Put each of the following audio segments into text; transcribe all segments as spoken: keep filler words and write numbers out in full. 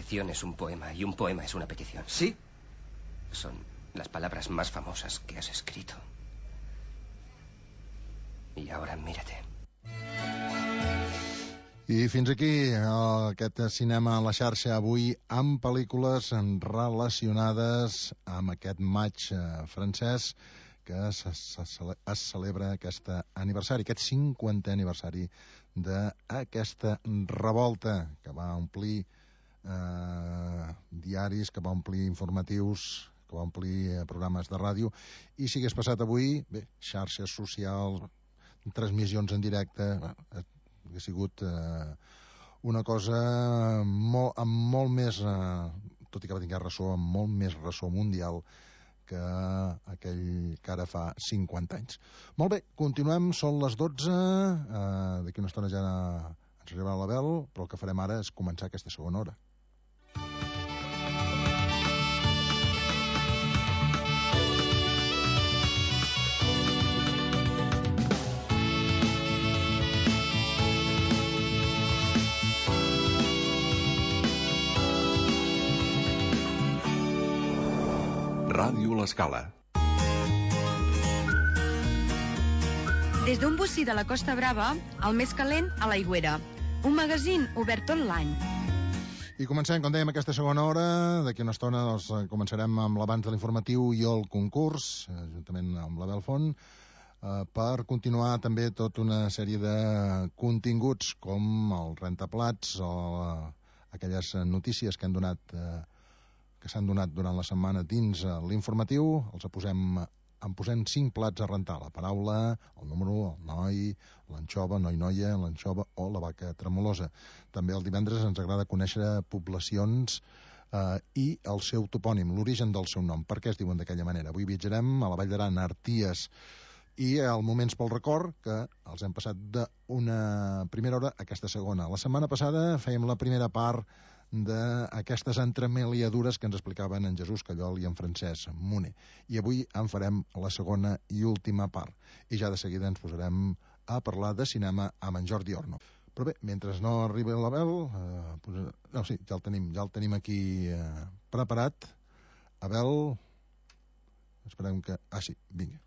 petición es un poema y un poema es una petición. ¿Sí? Son las palabras más famosas que has escrito. Y ahora mírate. I fins aquí aquest cinema a la xarxa avui amb pel·lícules relacionades amb aquest maig francès que es, es, es celebra aquest aniversari, aquest cinquantè aniversari d'aquesta revolta que va omplir eh, diaris, que va omplir informatius, que va omplir programes de ràdio. I si hagués passat avui, bé, xarxes socials, transmissions en directe, ha sigut eh, una cosa molt, amb molt més, eh, tot i que va tenir ressò, amb molt més ressò mundial que aquell que ara fa cinquanta anys. Molt bé, continuem, són les dotze, eh, d'aquí una estona ja ens arribarà l'Abel, però el que farem ara és començar aquesta segona hora. Ràdio L'Escala. Des d'un bocí de la Costa Brava, el més calent a l'Aigüera. Un magazín obert tot l'any. I comencem, com dèiem, aquesta segona hora. D'aquí una estona doncs, començarem amb l'abans de l'informatiu i el concurs, juntament amb l'Abel Font, eh, per continuar també tota una sèrie de continguts com el rentaplats o aquelles notícies que han donat... Eh, que s'han donat durant la setmana dins l'informatiu. Els posem, en posem cinc plats a rentar: la paraula, el número, el noi, l'anxova, noi-noia, l'anxova o la vaca tremolosa. També el divendres ens agrada conèixer poblacions eh, i el seu topònim, l'origen del seu nom, per què es diuen d'aquella manera. Avui viatjarem a la Vall d'Aran, a Arties, i al Moments pel Record, que els hem passat d'una primera hora a aquesta segona. La setmana passada fèiem la primera part d'aquestes entremaliadures que ens explicaven en Jesús Callol i en Francesc Moner. I avui en farem la segona i última part. I ja de seguida ens posarem a parlar de cinema amb en Jordi Orno. Però bé, mentre no arribi l'Abel, eh, pues, no, sí, ja el tenim, ja el tenim aquí eh, preparat. Abel, esperem que... Ah, sí, vinga.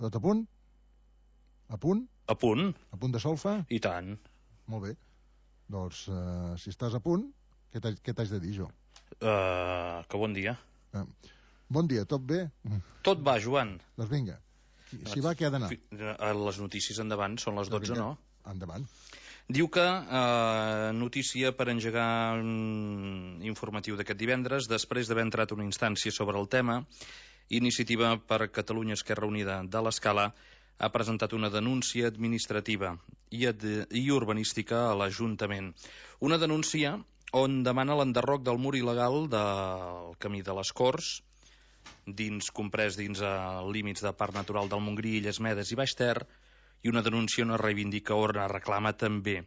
Tot a punt? A punt? A punt. A punt de solfa? I tant. Molt bé. Doncs, uh, si estàs a punt, què t'haig de dir jo? Uh, que bon dia. Uh, bon dia, tot bé? Tot va, Joan. Doncs vinga, si va, què ha d'anar? Les notícies endavant, són les dotze, no? Endavant. Diu que, uh, notícia per engegar un informatiu d'aquest divendres, després d'haver entrat una instància sobre el tema, Iniciativa per Catalunya Esquerra Unida de l'Escala ha presentat una denúncia administrativa i, ad- i urbanística a l'Ajuntament. Una denúncia on demana l'enderroc del mur il·legal del Camí de les Corts, dins comprès dins els límits de Parc Natural del Montgrí, Illes Medes i Baix Ter, i una denúncia on es reivindica o es reclama també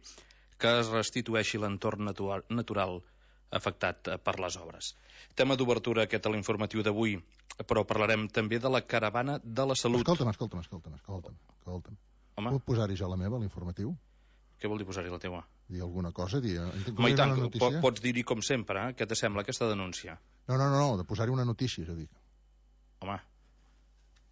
que es restitueixi l'entorn natural, natural afectat per les obres. Tema d'obertura aquest a l'informatiu d'avui, però parlarem també de la caravana de la salut. Escolta'm, escolta'm, escolta'm, escolta'm, escolta'm. Home? Puc posar-hi jo la meva, a l'informatiu? Què vol dir posar-hi la teua? Dir alguna cosa? Dir... Home, i tant, po pots dir-hi com sempre, eh? Què t'assembla aquesta denúncia? No, no, no, no, de posar-hi una notícia, jo dic. Home,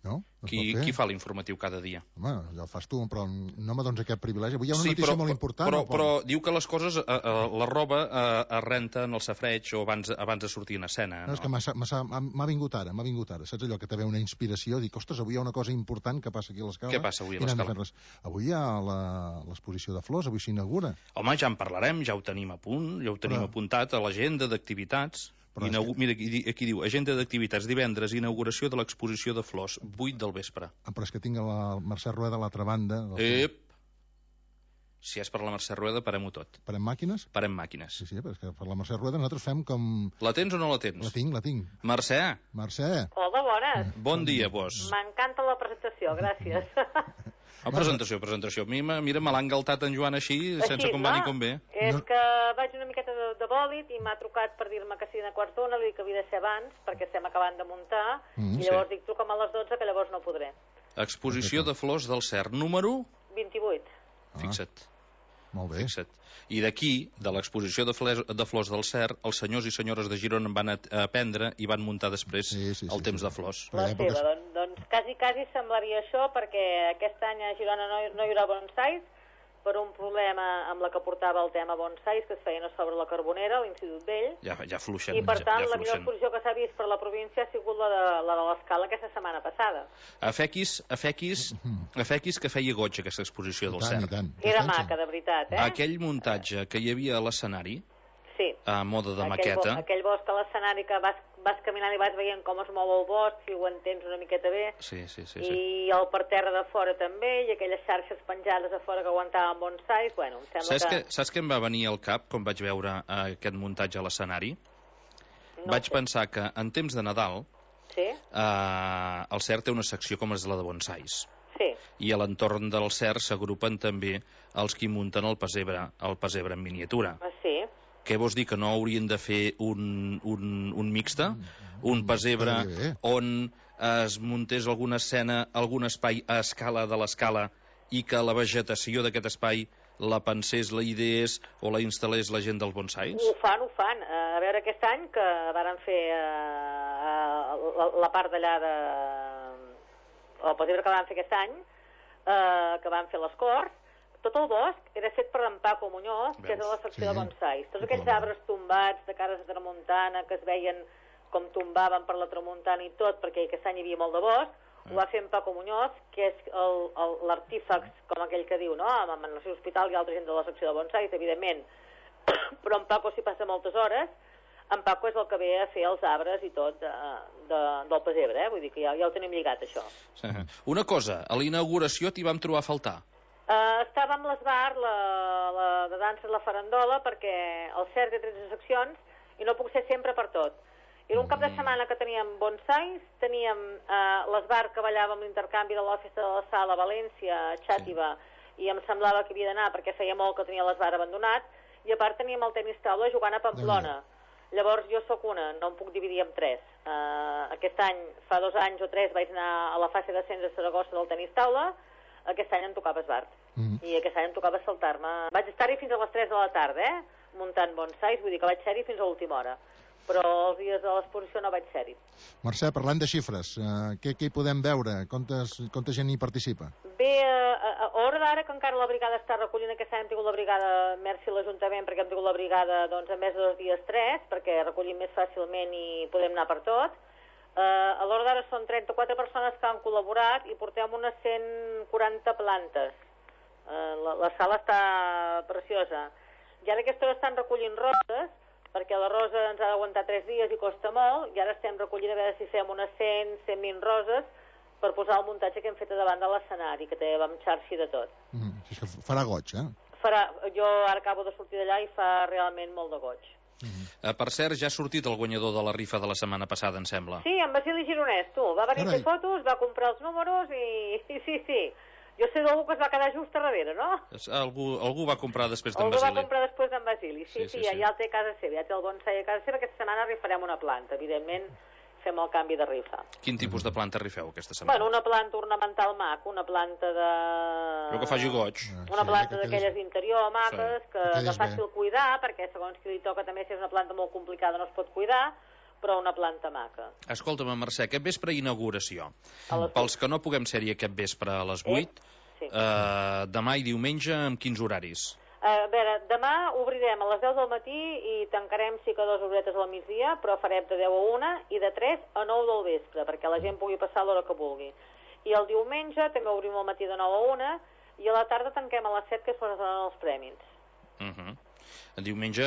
no? No qui, qui fa l'informatiu cada dia? Home, ja el fas tu, però no me dones aquest privilegi. Avui hi ha una sí, notícia però, molt important. Però, però diu que les coses, eh, eh, la roba eh, es renta en el safreig o abans, abans de sortir en escena. No, no? És que m'ha vingut ara, m'ha vingut ara. Saps allò que te ve una inspiració? Dic, ostres, avui hi ha una cosa important que passa aquí a l'Escala. Què passa avui a l'Escala? Avui hi ha l'exposició de flors, avui s'inaugura. Home, ja en parlarem, ja ho tenim a punt, ja ho tenim però... apuntat a l'agenda d'activitats. Inaugu... Que... Mira, aquí, aquí diu, agenda d'activitats divendres, inauguració de l'exposició de flors, vuit del vespre. Ah, però és que tinc la Mercè Rueda a l'altra banda. Del... Ep! Si és per la Mercè Rueda, parem-ho tot. Parem màquines? Parem màquines. Sí, sí, però és que per la Mercè Rueda nosaltres fem com... La tens o no la tens? La tinc, la tinc. Mercè? Mercè. Hola, bones. Bon dia, vos. M'encanta la presentació, gràcies. Oh, presentació, presentació. A mi, mira, me l'ha engaltat en Joan així, així sense com va ni com ve. És no. que vaig una miqueta de, de bòlit i m'ha trucat per dir-me que sí a quarts d'una, li dic que havia de ser abans, perquè estem acabant de muntar, mm, i llavors sí. dic, truca'm a les dotze, que llavors no podré. Exposició de flors del Cert, número... vint-i-vuit. Ah. Fixa't. Molt bé. Fixa't. I d'aquí, de l'exposició de, de flors del Cer, els senyors i senyores de Girona van aprendre i van muntar després sí, sí, sí, el temps sí. de flors. La seva, doncs, doncs quasi, quasi semblaria això, perquè aquest any a Girona no, no hi haurà bonsais, per un problema amb la que portava el tema bonsais, que es feien a sobre la Carbonera, a l'Institut Vell. Ja, ja fluixen. I, per tant, ja, ja la millor exposició que s'ha vist per la província ha sigut la de la de l'Escala aquesta setmana passada. A Fequis, a Fequis, a Fequis que feia goig aquesta exposició del Cer. Era maca, de veritat, eh? Aquell muntatge que hi havia a l'escenari, sí. a moda de aquell maqueta... Bo, aquell bosc a l'escenari que vas, vas caminant i vas veient com es mou el bosc, si ho entens una miqueta bé. Sí, sí, sí. I sí. el per terra de fora també, i aquelles xarxes penjades a fora que aguantaven bonsais, bueno, em sembla saps que... que... Saps què em va venir al cap quan vaig veure uh, aquest muntatge a l'escenari? No vaig sé. pensar que en temps de Nadal sí? uh, el Cer té una secció com és la de bonsais. Sí. I a l'entorn del Cer s'agrupen també els qui munten el pessebre, el pessebre en miniatura. Ah, sí? Què vols dir, que no haurien de fer un, un, un mixte? Un pessebre on es muntés alguna escena, algun espai a escala de l'escala i que la vegetació d'aquest espai la pensés, la ideés o la instal·lés la gent dels bonsais? Ho fan, ho fan. A veure, aquest any que varen fer uh, uh, la, la part d'allà de... el pessebre que van fer aquest any, uh, que van fer les Corts, tot el bosc era fet per en Paco Muñoz, que és a la secció sí. de bonsais. Tots aquells arbres tombats de cares de tramuntana que es veien com tombaven per la tramuntana i tot, perquè aquest any hi havia molt de bosc, mm. ho va fer en Paco Muñoz, que és l'artífex, com aquell que diu, no? En el seu hospital hi ha altra gent de la secció de bonsais, evidentment, però en Paco s'hi passa moltes hores. En Paco és el que ve a fer els arbres i tot de, de, del pessebre, eh? Vull dir que ja, ja ho tenim lligat, això. Una cosa, a la inauguració t'hi vam trobar a faltar. Uh, estava amb l'Esbar, la, la de dansa la farandola, perquè el C E R té tretze seccions i no puc ser sempre per tot. Era un cap de setmana que teníem bonsais, teníem uh, l'Esbar que ballava amb l'intercanvi de la Festa de la Sal a València, a Xàtiva, sí. I em semblava que havia d'anar perquè feia molt que tenia l'Esbar abandonat, i a part teníem el tenis taula jugant a Pamplona. Llavors jo sóc una, no em puc dividir en tres. Uh, aquest any, fa dos anys o tres, vaig anar a la fase d'ascens a Saragossa del tenis taula. Aquest any em tocava esbart. Mm. I aquest any em tocava saltar-me. Vaig estar-hi fins a les tres de la tarda, eh? Muntant bonsais, vull dir que vaig ser-hi fins a l'última hora. Però els dies de l'exposició no vaig ser-hi. Mercè, parlant de xifres, uh, què, què hi podem veure? Quantes, quanta gent hi participa? Bé, a, a hora d'ara, que encara la brigada està recollint, aquest any hem tingut la brigada, merci a l'Ajuntament, perquè hem tingut la brigada doncs, en més de dos dies tres, perquè recollim més fàcilment i podem anar per tot. Uh, a l'hora d'ara són trenta-quatre persones que han col·laborat i portem unes cent quaranta plantes. Uh, la, la sala està preciosa. I ara a aquesta hora estan recollint roses, perquè la rosa ens ha d'aguantar tres dies i costa molt, i ara estem recollint a veure si fem unes cent, cent vint roses per posar el muntatge que hem fet a davant de l'escenari, que té amb xarxi de tot. Mm, farà goig, eh? Farà, jo ara acabo de sortir d'allà i fa realment molt de goig. Uh-huh. Uh, per cert, ja ha sortit el guanyador de la rifa de la setmana passada, em sembla. Sí, en Basili Gironès, tu. Va venir a fer fotos, va comprar els números i... Sí, sí, sí. Jo sé d'algú que es va quedar just a darrere, no? Algú, algú va comprar després d'en Basili. Basili. Algú va comprar després d'en Basili, sí, sí, sí, sí, ja, sí. Ja el té a casa seva, ja té el bonsai a casa seva. Aquesta setmana rifarem una planta, evidentment fem el canvi de rifa. Quin tipus de planta rifeu aquesta setmana? Bueno, una planta ornamental mac, una planta de... Però que faci goig. Una planta d'aquelles d'interior maques, sí. que de fàcil cuidar, perquè segons qui li toca també si és una planta molt complicada no es pot cuidar, però una planta maca. Escolta'm, Mercè, aquest vespre inauguració. Pels que no puguem ser-hi aquest vespre a les vuit, eh? Sí. eh, demà i diumenge amb quins horaris? A veure, demà obrirem a les deu del matí i tancarem sí que dues horetes al migdia, però farem de deu a una i de tres a nou del vespre, perquè la gent pugui passar l'hora que vulgui. I el diumenge també obrim al matí de nou a una i a la tarda tanquem a les set, que es posen els prèmits. Uh -huh. El diumenge,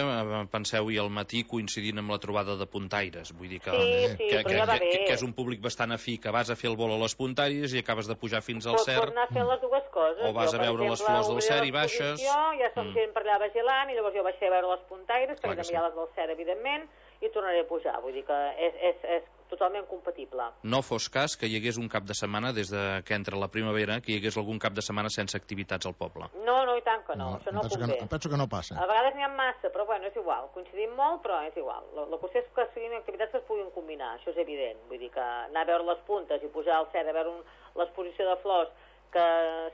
penseu, i al matí coincidint amb la trobada de puntaires. Vull dir que, sí, sí, que, que, ja que, que és un públic bastant afí, que vas a fer el vol a les puntaires i acabes de pujar fins al Pots Cer. Pots anar a fer les dues coses. O vas jo, a veure exemple, les flors del Cer i baixes. Ja som mm. gent per allà vigilant i llavors jo baixaré a veure les puntaires, Clar perquè que també hi ha les del Cer, evidentment, i tornaré a pujar. Vull dir que és, és, és totalment compatible. No fos cas que hi hagués un cap de setmana, des de que entra la primavera, que hi hagués algun cap de setmana sense activitats al poble. No, no, i tant que no, no això no penso convé. Que no, penso que no passa. A vegades n'hi ha massa, però bueno, és igual. Coincidim molt, però és igual. La, la qüestió és que siguin activitats que es puguin combinar, això és evident. Vull dir que anar a veure les puntes i pujar al Cer a veure un, l'exposició de flors que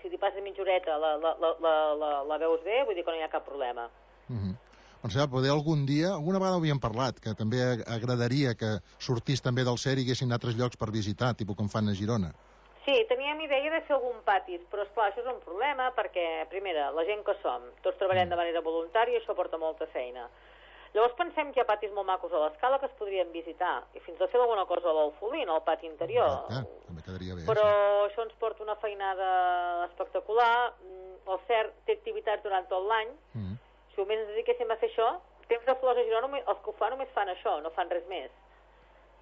si t'hi passes mitja horeta la, la, la, la, la, la veus bé, vull dir que no hi ha cap problema. Mm-hmm. Marcel, poder algun dia, alguna vegada ho havíem parlat, que també agradaria que sortís també del C E R i haguessin altres llocs per visitar, tipus com fan a Girona. Sí, teníem idea de fer algun patis, però esclar, això és un problema perquè, primera, la gent que som, tots treballem de manera voluntària i això porta molta feina. Llavors pensem que hi ha patis molt macos a l'Escala que es podrien visitar, i fins a fer alguna cosa a l'Alfolín, al pati interior. Ah, també quedaria bé. Però sí. això ens porta una feinada espectacular. El C E R té activitats durant tot l'any. Mm. Si només ens dediquéssim a fer això, temps de flors a Girona, els que ho fan només fan això, no fan res més.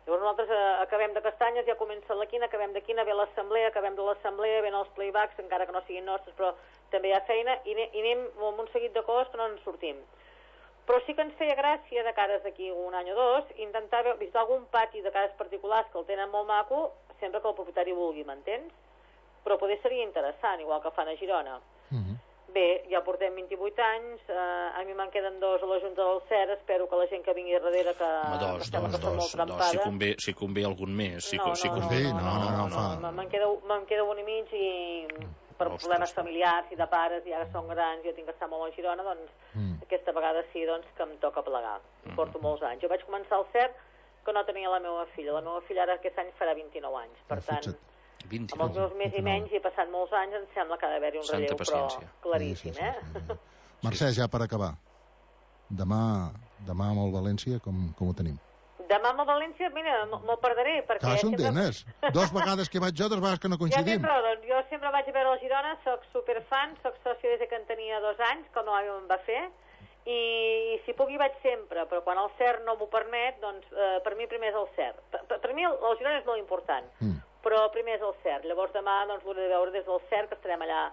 Llavors nosaltres eh, acabem de castanyes, ja comença la quina, acabem de quina, ve l'assemblea, acabem de l'assemblea, ven els playbacks, encara que no siguin nostres, però també hi ha feina, i, ne i anem amb un seguit de coses que no ens sortim. Però sí que ens feia gràcia, de cares d'aquí un any o dos, intentar visitar algun pati de cases particulars que el tenen molt maco, sempre que el propietari vulgui, m'entens? Però poder seria interessant, igual que fan a Girona. Mm-hmm. Bé, ja portem vint-i-vuit anys, eh, a mi me'n queden dos a la Junta del C E R, espero que la gent que vingui darrere que... Home, dos, que dos, dos, dos, dos, si convé, si convé algun més. Si, no, si no, convé, no, no, no, no, no, no. Me'n queda, me queda un i mig i... per Ostres, problemes familiars i de pares, ja que són grans, jo tinc que estar molt a Girona, doncs mm. aquesta vegada sí doncs, que em toca plegar. Mm. Porto molts anys. Jo vaig començar al C E R que no tenia la meva filla. La meva filla ara aquest any farà vint-i-nou anys. Per tant, vint-i-nou. Amb els meus més i menys, i he passat molts anys, em sembla que ha d'haver-hi un relleu, però claríssim, sí, sí, sí, sí, sí. eh? Mercè, ja per acabar. Demà, demà amb el València, com, com ho tenim? Demà amb el València, mira, me'l perdré, perquè... Clar, són tenes. Dos vegades que vaig jo, dues vegades que no coincidim. Ja tens raó, doncs jo sempre vaig a veure el Girona, soc superfan, soc soci des que en tenia dos anys, com no em va fer, i, i si puc hi vaig sempre, però quan el C E R no m'ho permet, doncs eh, per mi primer és el C E R. Per, per mi el, el Girona és molt important, mm. però primer és el C E R. Llavors demà doncs l'hauré de veure des del C E R, que estarem allà.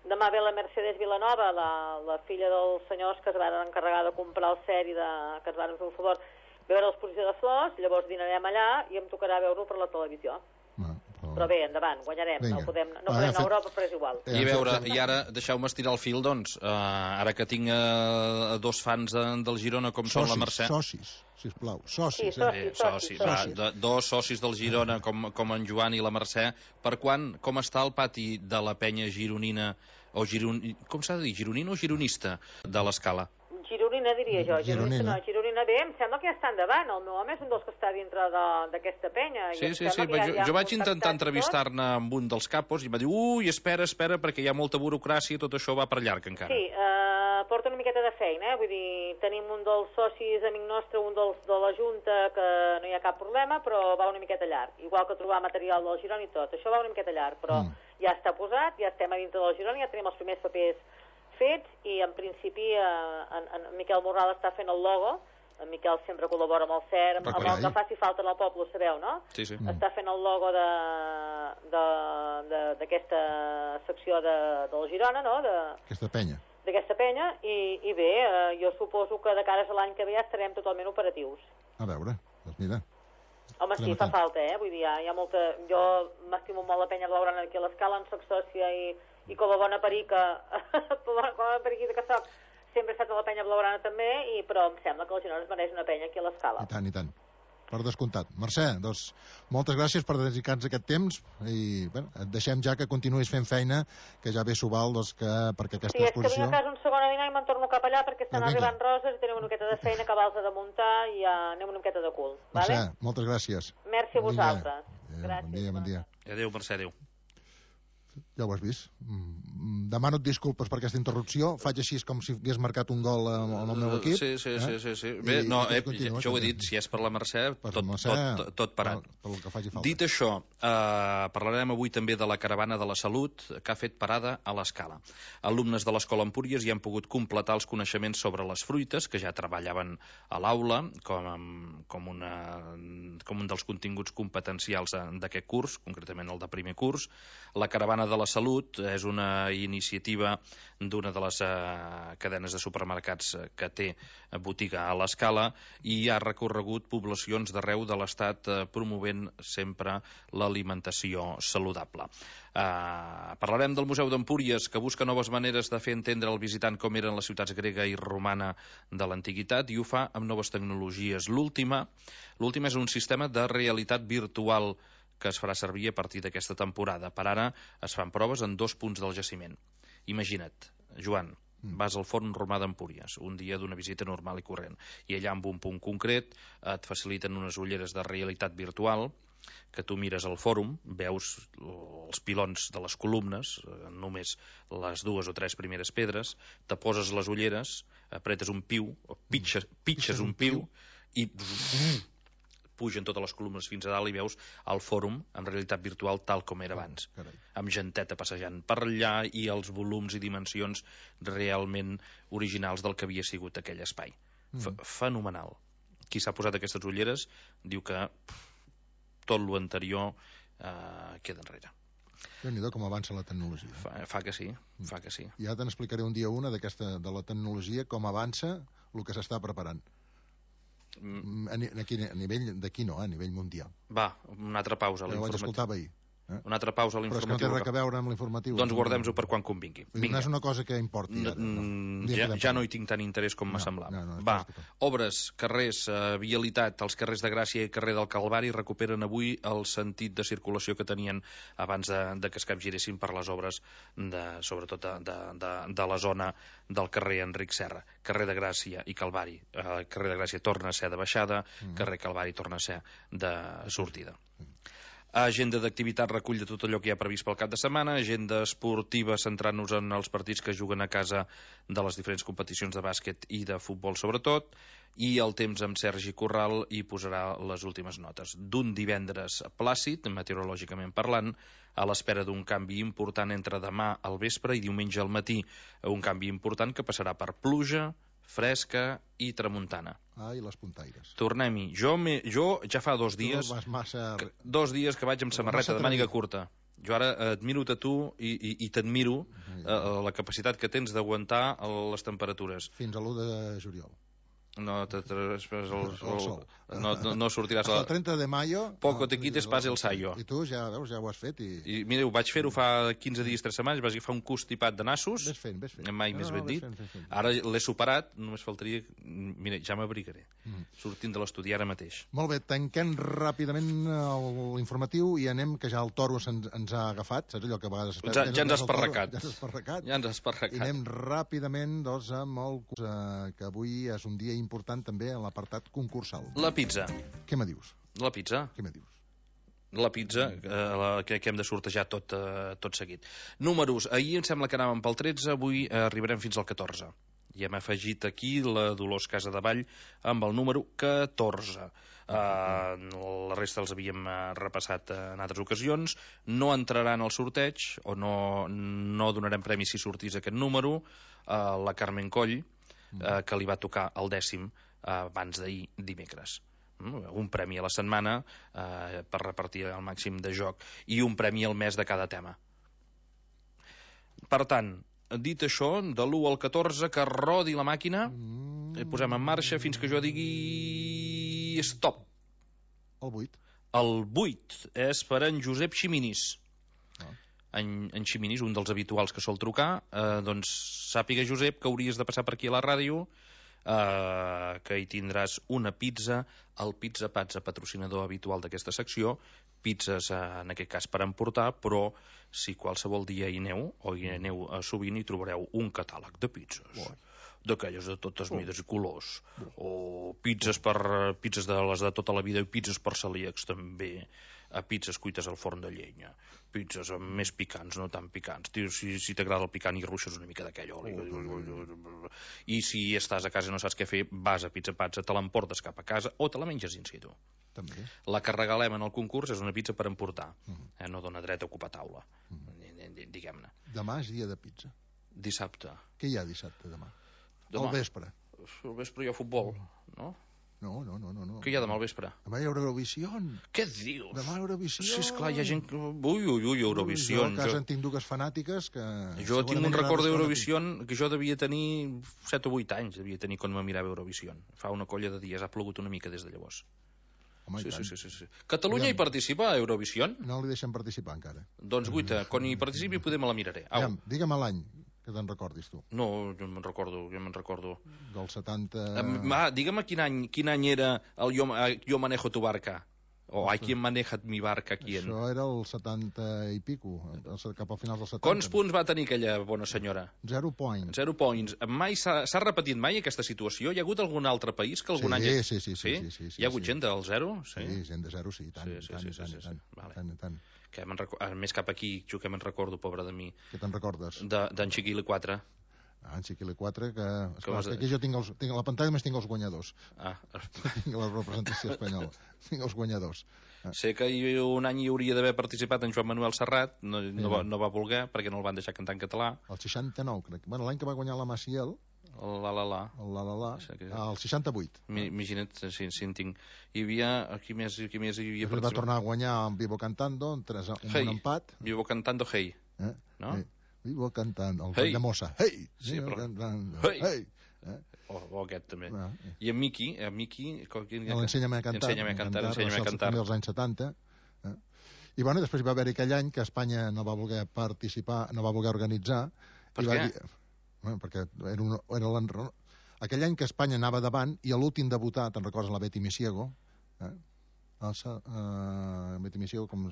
Demà ve la Mercedes Vilanova, la, la filla dels senyors que es van encarregar de comprar el C E R i de, que es van fer un favor, veure l'exposició de flors, llavors dinarem allà i em tocarà veure-ho per la televisió. Ah, però... però bé, endavant, guanyarem. Vinga. No podem, no podem anar a Europa, però és igual. I a veure, i ara, deixeu-me estirar el fil, doncs, uh, ara que tinc uh, dos fans de, del Girona, com socis, són la Mercè... Socis, sisplau, socis. Sí, socis, eh? socis, socis, socis. Va, de, dos socis del Girona, com, com en Joan i la Mercè. Per quan, com està el pati de la penya gironina, o giron... com s'ha de dir, gironina o gironista, de l'Escala? Gironina, diria jo. Gironina. No, Gironina bé, em sembla que ja està endavant. El meu home és un dels que està dintre d'aquesta penya. Sí, sí, sí. Ja, jo, jo vaig intentar entrevistar-ne amb un dels capos i va dir, ui, espera, espera, perquè hi ha molta burocràcia i tot això va per llarg encara. Sí, eh, porta una miqueta de feina, eh? Vull dir, tenim un dels socis, amic nostre, un dels de la Junta, que no hi ha cap problema, però va una miqueta llarg. Igual que trobar material del Girona i tot. Això va una miqueta llarg, però mm. ja està posat, ja estem a dintre del Girona, ja tenim els primers papers fets, i en principi eh, en, en Miquel Morral està fent el logo. En Miquel sempre col·labora amb el C E R, amb, amb el que faci falta en el poble, ho sabeu, no? Sí, sí. Mm. Està fent el logo d'aquesta secció de, del Girona, no? Aquesta penya. D'aquesta penya, i, i bé, eh, jo suposo que de cares a l'any que ve ja estarem totalment operatius. A veure, doncs mira. Home, sí, fa falta, eh? Vull dir, hi ha, hi ha molta... Jo m'estimo molt la penya blaugrana aquí a l'Escala, en soc sòcia i... i com a bona perica, com a bona periquita que soc, sempre he estat a la penya blaugrana també, i, però em sembla que el Girona es mereix una penya aquí a l'Escala. I tant, i tant. Per descomptat. Mercè, doncs, moltes gràcies per dedicar-nos aquest temps, i bé, et deixem ja que continuïs fent feina, que ja ve s'ho val, doncs, que, perquè aquesta sí, exposició... Sí, és que vinc a casa un segon a dinar i me'n torno cap allà, perquè estan arribant roses i tenim una miqueta de feina que vals a de muntar i ja anem una miqueta de cul. Mercè, vale? moltes gràcies. Merci a vosaltres. Adéu, gràcies. Bon dia, bon dia. Adéu, Mercè, adéu. Ja ho has vist. Demano disculpes per aquesta interrupció. Faig així com si hagués marcat un gol en el meu equip. Sí, sí, eh? sí, sí, sí. Bé, I, no, eh, continua, jo ho he dit, si és per la Mercè, per tot, Mercè, tot, tot parat. Per, per el que faci falta. Dit això, eh, parlarem avui també de la Caravana de la Salut, que ha fet parada a l'Escala. Alumnes de l'Escola Empúries hi han pogut completar els coneixements sobre les fruites, que ja treballaven a l'aula, com, com, una, com un dels continguts competencials d'aquest curs, concretament el de primer curs. La Caravana de la Salut és una iniciativa d'una de les eh, cadenes de supermercats que té botiga a l'Escala i ha recorregut poblacions d'arreu de l'Estat eh, promovent sempre l'alimentació saludable. Eh, parlarem del Museu d'Empúries, que busca noves maneres de fer entendre al visitant com eren les ciutats grega i romana de l'antiguitat, i ho fa amb noves tecnologies. L'última, l'última és un sistema de realitat virtual que es farà servir a partir d'aquesta temporada. Per ara es fan proves en dos punts del jaciment. Imagina't, Joan, vas al Forn Romà d'Empúries, un dia d'una visita normal i corrent, i allà en un punt concret et faciliten unes ulleres de realitat virtual que tu mires al fòrum, veus els pilons de les columnes, només les dues o tres primeres pedres, te poses les ulleres, apretes un piu, o pitxes, pitxes un piu, i pugen totes les columnes fins a dalt i veus el fòrum en realitat virtual tal com era abans, amb genteta passejant per allà i els volums i dimensions realment originals del que havia sigut aquell espai. Fenomenal. Qui s'ha posat aquestes ulleres diu que tot l'anterior eh, queda enrere. Déu-n'hi-do com avança la tecnologia. Fa, fa que sí, fa que sí. Ja te n'explicaré un dia una d'aquesta de la tecnologia, com avança el que s'està preparant. Mm. A, a, a nivell d'aquí no, a nivell mundial. Va, una altra pausa. Ja ho vaig escoltar ahir. Eh? Una altra pausa a l'informatiu. Però és que no té res a veure amb l'informatiu. Doncs guardem-ho per quan convingui. No és una cosa que importi ara. No. Ja, ja no hi tinc tant interès com m'ha no, semblat. No, no, Va, obres, carrers, eh, vialitat, els carrers de Gràcia i carrer del Calvari recuperen avui el sentit de circulació que tenien abans de, de que es capgiressin per les obres, de, sobretot de, de, de, de la zona del carrer Enric Serra. Carrer de Gràcia i Calvari. Eh, carrer de Gràcia torna a ser de baixada, mm. carrer Calvari torna a ser de sortida. Mm. Agenda d'activitat recull de tot allò que hi ha previst pel cap de setmana, agenda esportiva centrant-nos en els partits que juguen a casa de les diferents competicions de bàsquet i de futbol sobretot, i el temps amb Sergi Corral hi posarà les últimes notes. D'un divendres plàcid, meteorològicament parlant, a l'espera d'un canvi important entre demà al vespre i diumenge al matí, un canvi important que passarà per pluja, fresca i tramuntana. Ah, i les puntaires. Tornem-hi. Jo, me, jo ja fa dos dies... Massa... Que, dos dies que vaig amb samarreta de màniga curta. Jo ara admiro a tu i, i, i t'admiro eh, la capacitat que tens d'aguantar les temperatures. Fins a l'u de juliol. No, te, te, el, el, el sol. No, no, no sortiràs... El trenta de mayo... Poco te quites, pase el sayo. I tu ja, veus, ja ho has fet i... I mira, ho vaig fer-ho fa quinze dies, tres setmanes, vaig agafar un constipat de nassos... Ves fent, ves fent. Mai no, més no, ben dit. Fent, fent, fent. Ara l'he superat, només faltaria... Mira, ja m'abrigaré. Mm. Sortint de l'estudi ara mateix. Molt bé, tanquem ràpidament l'informatiu i anem, que ja el toro ens, ens ha agafat, saps allò que a vegades... Ja, ja ens ha esparracat. Ja ens ha esparracat. Ja ens ha esparracat. I anem ràpidament, doncs, amb el... que avui és un dia important també en l'apartat concursal. La pizza. Què me dius? La pizza. Què me dius? La pizza, eh, la, que, que hem de sortejar tot, eh, tot seguit. Números. Ahir em sembla que anàvem pel tretze, avui eh, arribarem fins al catorze. I hem afegit aquí la Dolors Casadevall amb el número catorze. Uh, la resta els havíem uh, repassat uh, en altres ocasions. No entraran al sorteig, o no, no donarem premi si sortís aquest número, uh, la Carmen Coll, uh, que li va tocar el dècim uh, abans d'ahir dimecres. Mm, un premi a la setmana uh, per repartir el màxim de joc i un premi al mes de cada tema. Per tant, dit això, de l'u al catorze, que rodi la màquina, mm. posem en marxa fins que jo digui stop. El vuit. El vuit és per en Josep Ximinis. Ah. En, en Ximinis, un dels habituals que sol trucar, eh, doncs sàpiga, Josep, que hauries de passar per aquí a la ràdio, eh, que hi tindràs una pizza, el Pizza Pazza, patrocinador habitual d'aquesta secció, pizzas eh, en aquest cas per emportar, però si qualsevol dia hi aneu, o hi aneu eh, sovint, hi trobareu un catàleg de pizzas. Oh. D'aquelles de totes mides i colors, o pizzas per pizzas de les de tota la vida i pizzas per celíacs també, a pizzas cuites al forn de llenya, pizzas més picants, no tan picants. Si, si t'agrada el picant i ruixes una mica d'aquell oli. Oh, I si estàs a casa i no saps què fer, vas a Pizza Pazza, te l'emportes cap a casa o te la menges in situ. També. La que regalem en el concurs és una pizza per emportar, uh-huh. eh, no dona dret a ocupar taula, uh-huh. diguem-ne. Demà és dia de pizza. Dissabte. Què hi ha dissabte demà? Demà. Al vespre. Al vespre hi ha futbol, no? No, no, no, no. no. Què hi ha demà al vespre? Demà hi ha Eurovisió. Què dius? Demà Eurovisió. Sí, esclar, hi ha gent... Ui, ui, ui, Eurovisió. Jo a casa jo... en tinc dues fanàtiques que... Jo tinc un record d'Eurovisió que jo devia tenir set o vuit anys, devia tenir quan me mirava Eurovisió. Fa una colla de dies, ha plogut una mica des de llavors. Home, sí, sí, sí, sí, sí. Catalunya hi participa a Eurovisió? No li deixen participar encara. Doncs guita, quan hi participi poder me la miraré. Au. Digue'm l'any, que te'n recordis tu. No, jo me'n recordo, jo me'n recordo. Del setanta... Um, ah, digue'm quin any, quin any era el Jo, jo manejo tu barca. O hay quien maneja mi barca aquí. En... Això era el setanta i pico, cap al final del setanta. Quants punts va tenir aquella bona senyora? Zero points. Zero points. Mai s'ha repetit mai aquesta situació? Hi ha hagut algun altre país que algun sí, any... Sí, sí, sí, sí, sí, sí, sí. Hi ha hagut sí. gent del zero? Sí, sí gent de zero, sí, tant, sí, sí, tant, sí, tant, sí, sí, tant, sí. Vale. tant, tant. Que record... Més cap aquí, jo que me'n recordo, pobre de mi. Què te'n recordes? D'en de, Chiquile quatre. Ah, en Chiquile quatre, que... Esclar, de... aquí jo tinc, els, tinc a la pantalla només tinc els guanyadors. Ah. Tinc la representació espanyola. Tinc els guanyadors. Ah. Sé que un any hi hauria d'haver participat en Joan Manuel Serrat, no, sí, no, va, no va voler, perquè no el van deixar cantar en català. El seixanta-nou, crec. Bueno, l'any que va guanyar la Maciel... El la la la. El la la la. Que... Ah, el seixanta-vuit. Imagina't si, si en tinc. Hi havia... Aquí més, aquí més hi havia... Va tornar a guanyar amb Vivo Cantando, un, tres, un hey. bon empat. Vivo Cantando, hey. Eh? No? Hey. Vivo Cantando, el hey. de Mossa. Hey! Sí, però... Cantando. Hey! Hey. Eh? O, o aquest també. Ah, eh. I en Miqui, en Miqui... L'Ensenya'm a cantar. Ensenya'm a cantar, ensenya'm a cantar. També als anys setanta. Eh? I bueno, després hi va haver aquell any que Espanya no va voler participar, no va voler organitzar. Per i què? Va dir, bueno, perquè era, un, era l'enro... Aquell any que Espanya anava davant i l'últim de votar, te'n recordes, la Betty Misiego? Eh? El, uh, Betty Misiego, com...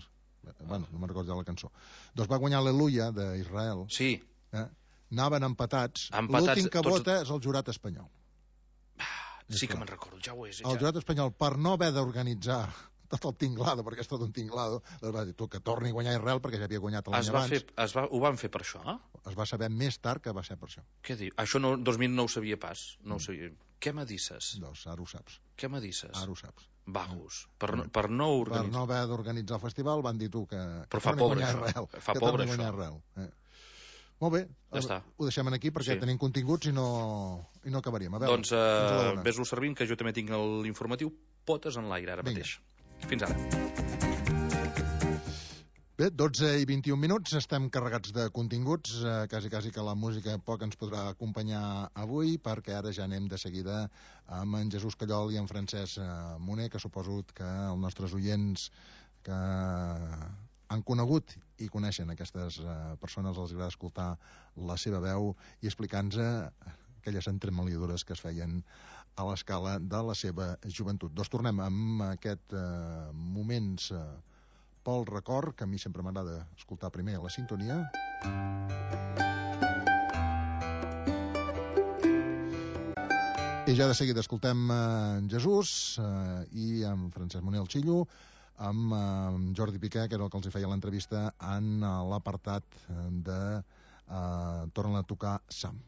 Bueno, no me'n recordo la cançó. Doncs va guanyar l'Aleluia d'Israel. Sí. Eh? Anaven empatats. empatats L'últim que tots... vota és el jurat espanyol. Ah, sí que me'n recordo, ja ho és. El ja. jurat espanyol, per no haver d'organitzar tot el tinglado, perquè és tot un tinglado, doncs va dir, tu, que torni a guanyar Israel, perquè ja havia guanyat l'any abans. Fer, es va, ho van fer per això? Eh? Es va saber més tard que va ser per això. Què diu? Això no, dos mil no ho sabia pas. No ho sabia. Què me disses? Doncs ara ho saps. Què me disses? Ara ho saps. Vagos. Per, no, per no organitzar... Per no haver d'organitzar el festival van dir tu que... Però que fa pobre això. Israel, fa que pobre això. Israel. Eh. Molt bé, ja està. Ho deixem aquí perquè sí. tenim continguts i no, i no acabaríem. A veure, doncs uh, ves-lo servint, que jo també tinc l'informatiu Potes en l'aire ara Vinga. mateix. Fins ara. Bé, dotze i vint-i-un minuts, estem carregats de continguts, eh, quasi, quasi que la música poc ens podrà acompanyar avui, perquè ara ja anem de seguida amb en Jesús Callol i en Francesc eh, Moner, que suposo que els nostres oients que han conegut i coneixen aquestes eh, persones, els agrada escoltar la seva veu i explicar-nos aquelles entremaliadures que es feien a l'escala de la seva joventut. Doncs tornem amb aquest eh, moments... Eh, pel record, que a mi sempre m'agrada escoltar primer la sintonia. I ja de seguida escoltem en Jesús eh, i en Francesc Moner el Xillo, amb eh, Jordi Piqué, que era el que els feia l'entrevista en l'apartat de eh, Torna a tocar Sam.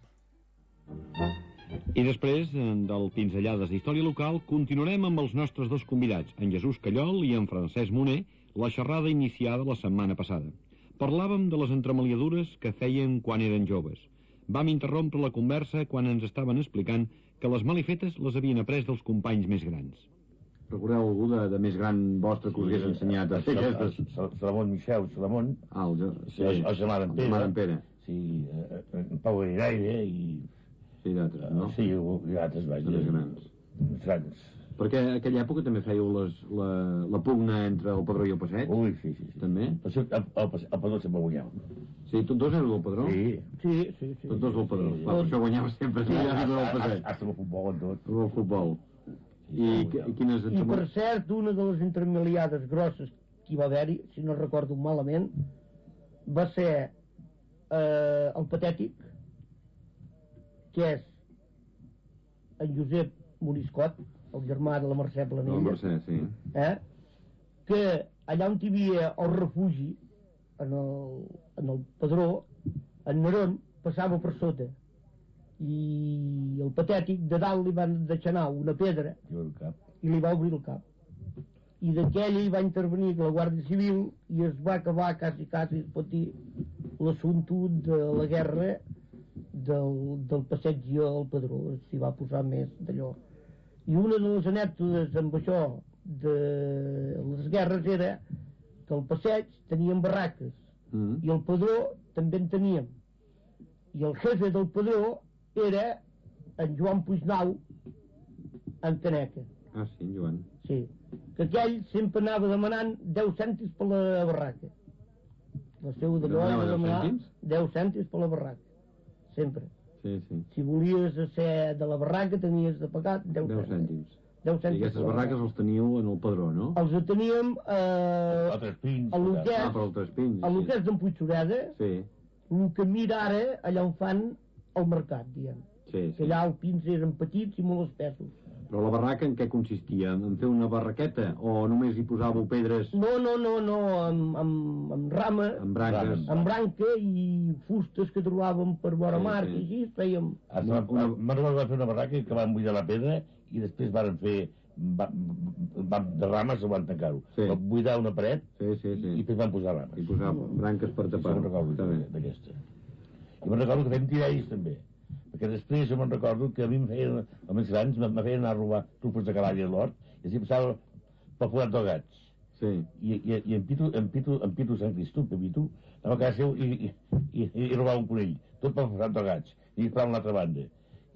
I després del Pinzellades d'Història Local continuarem amb els nostres dos convidats, en Jesús Callol i en Francesc Moner, la xerrada iniciada la setmana passada. Parlàvem de les entremaliadures que feien quan eren joves. Vam interrompre la conversa quan ens estaven explicant que les malifetes les havien après dels companys més grans. Recordeu algú de, de més gran vostre que us hagués ensenyat a fer aquestes? Salamón Michel, Salamón. Ah, el, sí, el, el germà d'en Pere. El Pere. Sí, en Pau Airaire i... Sí, d'altres, no? Sí, i d'altres, vaja. Més grans. Grans. Perquè en aquella època també fèieu les, la, la pugna entre el Padró i el Passeig? Ui, sí, sí. sí. També? El, el, el, el Padró sempre guanyava. Sí, tots dos éreu del Padró? Sí. Sí, sí, sí. Tots dos del Padró. Sí, sí. Clar, per això guanyava sempre, sí, ja sempre del Passeig. Hasta el futbol en tot. El futbol. I, I quines... I per cert, una de les intermiliades grosses que hi va haver-hi, si no recordo malament, va ser eh, el Patètic, que és en Josep Moriscot, el germà de la Mercè Planella. La Mercè, sí. Eh? Que allà on hi havia el refugi, en el, en el Padró, en Nerón passava per sota. I el Patètic de dalt li van deixar anar una pedra i li va obrir el cap. I d'aquella hi va intervenir la Guàrdia Civil i es va acabar quasi, quasi, es pot dir, l'assumpte de la guerra del, del passeig al Padró. S'hi va posar més d'allò. I una de les anècdotes amb això de les guerres era que al passeig teníem barraques mm. i al Padró també en teníem. I el jefe del Padró era en Joan Puignau en Caneca. Ah, sí, Joan. Sí, que aquell sempre anava demanant deu cèntims per la barraca. La seva d'allò era demanar deu cèntims per la barraca. Sempre. Sí, sí. Si volies ser de la barraca tenies de pagar deu cèntims. deu cents. I aquestes barraques els teníeu en el Padró, no? Els teníem eh, a Trespins. a lo que és, Ah, per al Trespins. a lo que és d'en Puigsureda, Sí, el que mira ara allà on fan el mercat, diguem. sí, Que sí. allà els pins eren petits i molt espessos. Però la barraca en què consistia? En fer una barraqueta? O només hi posàveu pedres No, no, no, no, amb, amb, amb rama, amb branques? amb branca i fustes que trobàvem per vora Sí, mar, sí. i així fèiem... Me'n recordo que van fer una barraca que van buidar la pedra i després van fer va, va, de rames o van tancar-ho. Sí. Van buidar una paret Sí, sí, i sí. després van posar rames. I posar branques per Sí, tapar. me'n recordo Està bé. d'aquesta. I me'n recordo que fèiem tirells també. Perquè després jo me'n recordo que a mi em feien, els més grans, me feien anar a robar trufes de cavall a l'hort i així passava pel forat dels gats. Sí. I, i, i en Pitu, en Pitu, en Pitu Sant Cristú, Pitu, anava a casa seu i, i, i, i robava un conill, tot pel forat dels gats, i esperava una altra banda.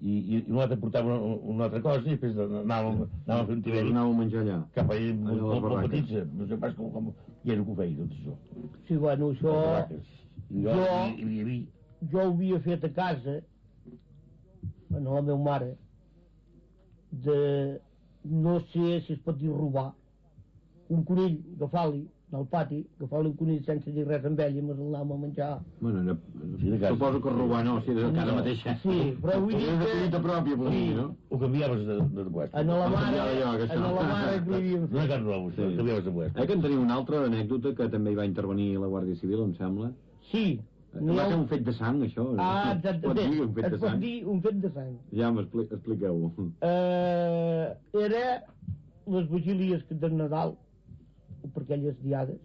I, i, i un altre portava una, una altra cosa i després anàvem, anàvem a fer un tirell Anàveu a menjar allà. cap allà Allà a molt, les molt, molt barraques. petits, no sé pas com, com, i era que ho feia tot això. Sí, bueno, això... Les barraques. I jo, Jo- i, i, i, Jo ho havia fet a casa, a la meva mare, de... no sé si es pot dir robar, un conill, agafar-li, al pati, agafar-li un conill sense dir res amb ell i me'l anàvem a menjar. Bueno, era... Sí, de casa. suposo que robar no, si era de casa mateixa. Sí, però vull dir Era de que... collita pròpia, potser, Sí. no? ho canviaves de, de puesto. En la mare, canviava jo, que en això. la mare que li havíem No fet. era cas nou, Sí. sí. canviaves de puesto. Eh que en teniu una altra anècdota que també hi va intervenir la Guàrdia Civil, em sembla? Sí. No va ser un fet de sang, això? Ah, Es pot exactament. dir un fet Es de pot sang? dir un fet de sang. Ja m'expliqueu. Eh, era les vigílies de Nadal, per aquelles diades,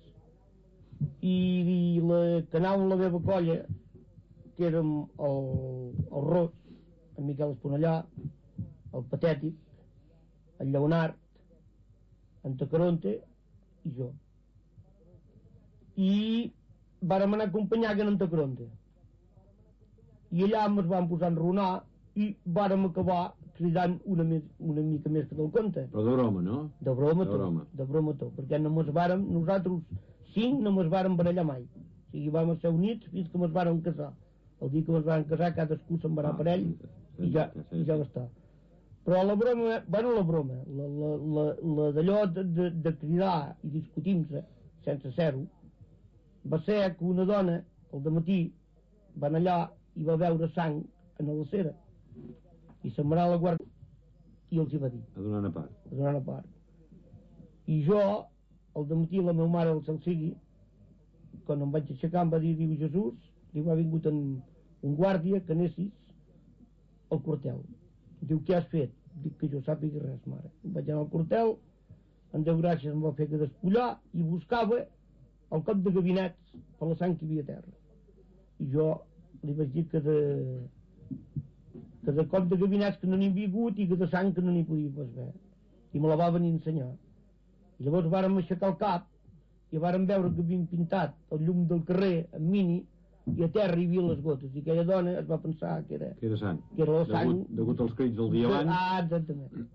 i, i la, que anàvem la meva colla, que érem el, el Ros, en Miquel Esponellà, el Patètic, el Lleonard, en Tacaronte i jo. I vàrem anar a acompanyar que en Tacaronte. I allà ens vam posar a enronar i vàrem acabar cridant una, més, una mica més que del compte. Però de broma, no? De broma De tot, broma. de broma tot, perquè no mos vàrem, nosaltres cinc no mos vàrem barallar mai. O sigui, vam ser units fins que mos vàrem casar. El dia que mos vàrem casar, cadascú se'n va anar Ah, per ell sí, sí, i ja, sí, sí. i ja va estar. Però la broma, bueno, la broma, la, la, la, la d'allò de, de, de cridar i discutir-se, sense ser-ho, va ser que una dona, al dematí, va anar allà i va veure sang en la cera. I se'n va anar a la guàrdia i els hi va dir, A donar una part. a donar una part. I jo, al dematí, la meva mare, el cel sigui, quan em vaig aixecar em va dir, diu, Jesús, diu, ha vingut en, un guàrdia que anessis al quartel. Diu, què has fet? Dic que jo sàpiga res, mare. Vaig anar al quartel, en Déu gràcies em va fer que despullar i buscava el cop de gabinets per la sang que hi havia a terra. I jo li vaig dir que de, que de cop de gabinets que no n'hi havia hagut i que de sang que no n'hi podia pas haver. I me la va venir a ensenyar. I llavors vàrem aixecar el cap i vàrem veure que havien pintat el llum del carrer en mini i a terra hi havia les gotes. I aquella dona es va pensar que era, Que era sang. que era la sang... Degut, degut als crits del dia abans, Ah, exactament.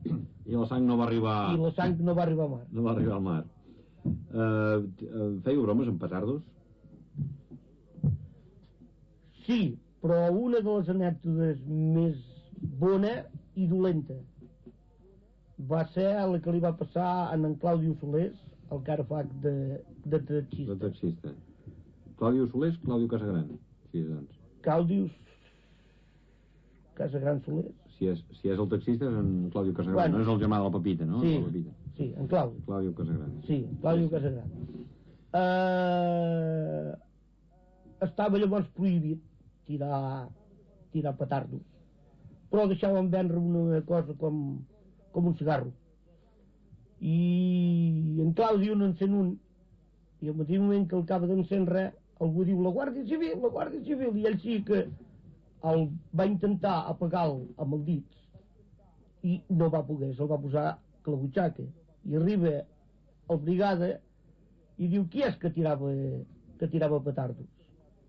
i la sang no va arribar... I la sang no va arribar a mar. No va arribar al mar. Uh, fèieu bromes amb petardos? Sí, però una de les anècdotes més bona i dolenta va ser la que li va passar a en Claudio Solés, el que ara fa de, de taxista. De taxista. Claudio Solés, Claudio Casagran. Sí, doncs. Claudio Casagran Solés. Si és, si és el taxista és en Claudio Casagran, Bueno. no és el germà de la Pepita, no? Sí, La Pepita. sí, en Claudio. Claudio Casagran. Sí, Claudio Casagran. Uh, estava llavors prohibit tirar, tirar petardos, però deixaven vendre una cosa com, com un cigarro. I en Claudio n'encén un, i al mateix moment que el acaba d'encendre, algú diu la Guàrdia Civil, la Guàrdia Civil, i ell sí que el va intentar apagar-lo amb els dits i no va poder, se'l va posar a la butxaca. I arriba el brigada i diu, qui és que tirava, que tirava petardos?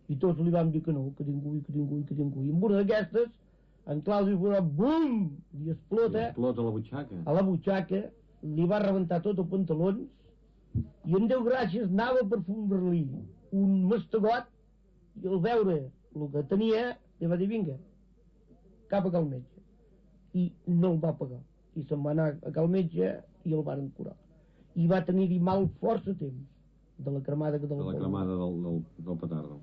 I tots li van dir que no, que ningú, que ningú, que ningú. I en una d'aquestes, en Claudio va dir, bum, i explota, I explota la butxaca. a la butxaca, li va rebentar tot els pantalons, i en Déu gràcies anava per fondre-li un mastegot, i al veure el que tenia, li va dir, vinga, cap a cal metge. I no el va pagar. i se'n va anar a cal metge i el varen curar. I va tenir-hi mal força temps de la cremada que de la cremada del, del, del petardo.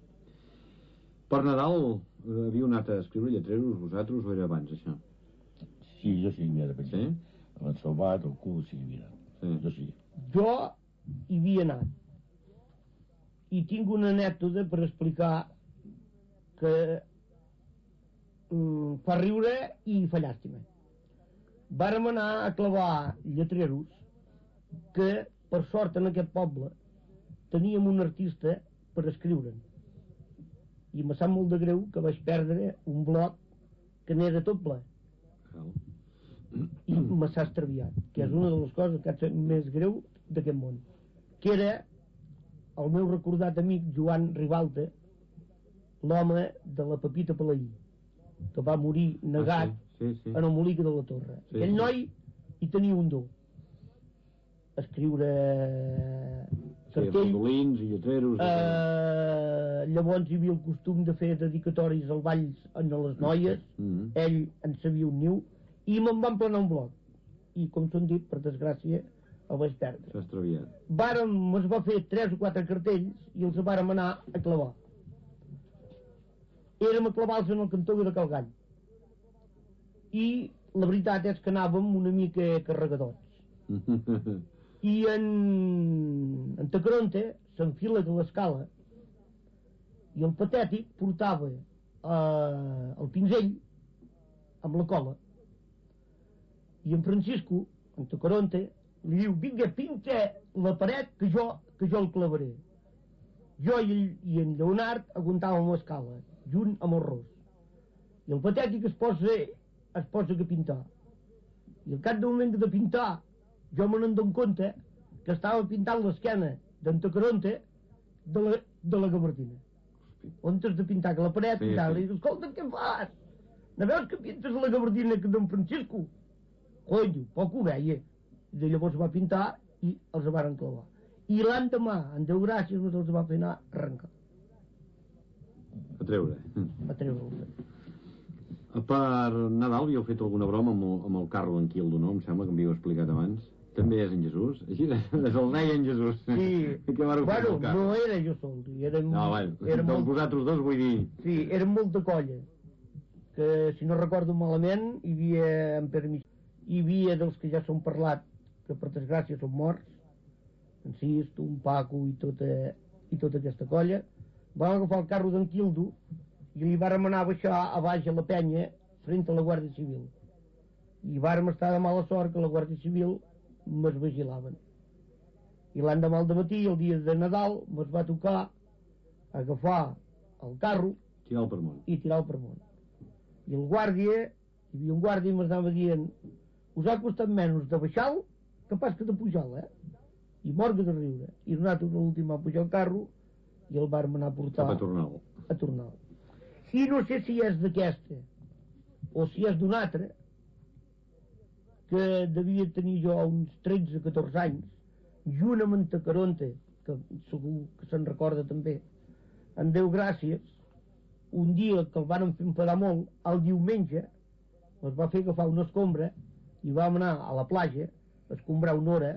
Per Nadal eh, havíeu anat a escriure lletreros vosaltres o era abans, això? Sí, jo sí, mira, de Sí? El Salvat, el cul, sí, mira. Sí. Jo sí. Jo hi havia anat. I tinc una anècdota per explicar que mm, fa riure i fa llàstima. Vàrem anar a clavar lletreros que, per sort, en aquest poble teníem un artista per escriure'n. I me sap molt de greu que vaig perdre un bloc que n'era tot ple. I me s'ha extraviat, que és una de les coses que és més greu d'aquest món. Que era el meu recordat amic Joan Ribalta, l'home de la Pepita Palaí, que va morir negat ah, sí, sí, sí. en el Molic de la Torre. Sí, Aquell sí. noi hi tenia un do. Escriure cartells. Sí, rodolins i lletreros. Eh, llavors hi havia el costum de fer dedicatoris als balls a les noies. Mm-hmm. Ell en sabia un niu i me'n van planar un bloc. I, com s'han dit, per desgràcia, el vaig perdre. S'ha extraviat. Vàrem, es va fer tres o quatre cartells i els vàrem anar a clavar. Érem a clavar-los en el cantó de Calgall. I la veritat és que anàvem una mica carregadots. I en, en Tacaronte s'enfila de l'escala i el patètic portava eh, el pinzell amb la cola i en Francisco, en Tacaronte, li diu, vinga, pinta la paret que jo, que jo el clavaré. Jo i, i en Lleonard aguantàvem l'escala, junt amb el ros. I el patètic es posa, es posa a pintar. I al cap d'un moment de pintar, jo me n'en compte que estava pintant l'esquena d'en Tacaronte de la, de la gabardina. On has de pintar que la paret, sí, pintar, sí. I dius, escolta, què fas? No veus que pintes la gabardina que d'en Francisco? Conyo, poc ho veia. I de llavors va pintar i els varen clavar. I l'endemà, en Déu gràcies, no els va fer anar a arrencar. A treure. A treure. Per Nadal havíeu fet alguna broma amb el, amb el carro d'en Quildo, no? Em sembla que m'havíeu explicat abans. També és en Jesús? Així és el rei en Jesús. Sí. Que bueno, no era jo sol. Érem, no, bueno, érem dels molt... vosaltres dos vull dir... Sí, érem molta colla. Que, si no recordo malament, hi havia en permís, hi havia dels que ja són parlat, que per desgràcia són morts, en Sisto, un Paco i tota, i tota aquesta colla. Vam agafar el carro d'en Quildo i li vàrem anar a baixar a baix a la penya frent a la Guàrdia Civil. I vàrem estar de mala sort que la Guàrdia Civil me'ls vigilaven. I l'endemà al dematí, el dia de Nadal, me'ls va tocar agafar el carro tirar el per món. i tirar el per món. I el guàrdia, hi havia un guàrdia i me'ls anava dient, us ha costat menys de baixar-lo que pas que de pujar-lo, eh? I morga de riure. I nosaltres l'últim va pujar el carro i el vàrem anar a portar a tornar-lo. A tornar-lo. I no sé si és d'aquesta o si és d'una altra, que devia tenir jo uns tretze o catorze anys, junt amb en Tacaronte, que segur que se'n recorda també, en Déu gràcies, un dia que el van fer enfadar molt, el diumenge es va fer agafar una escombra i vam anar a la platja a escombrar una hora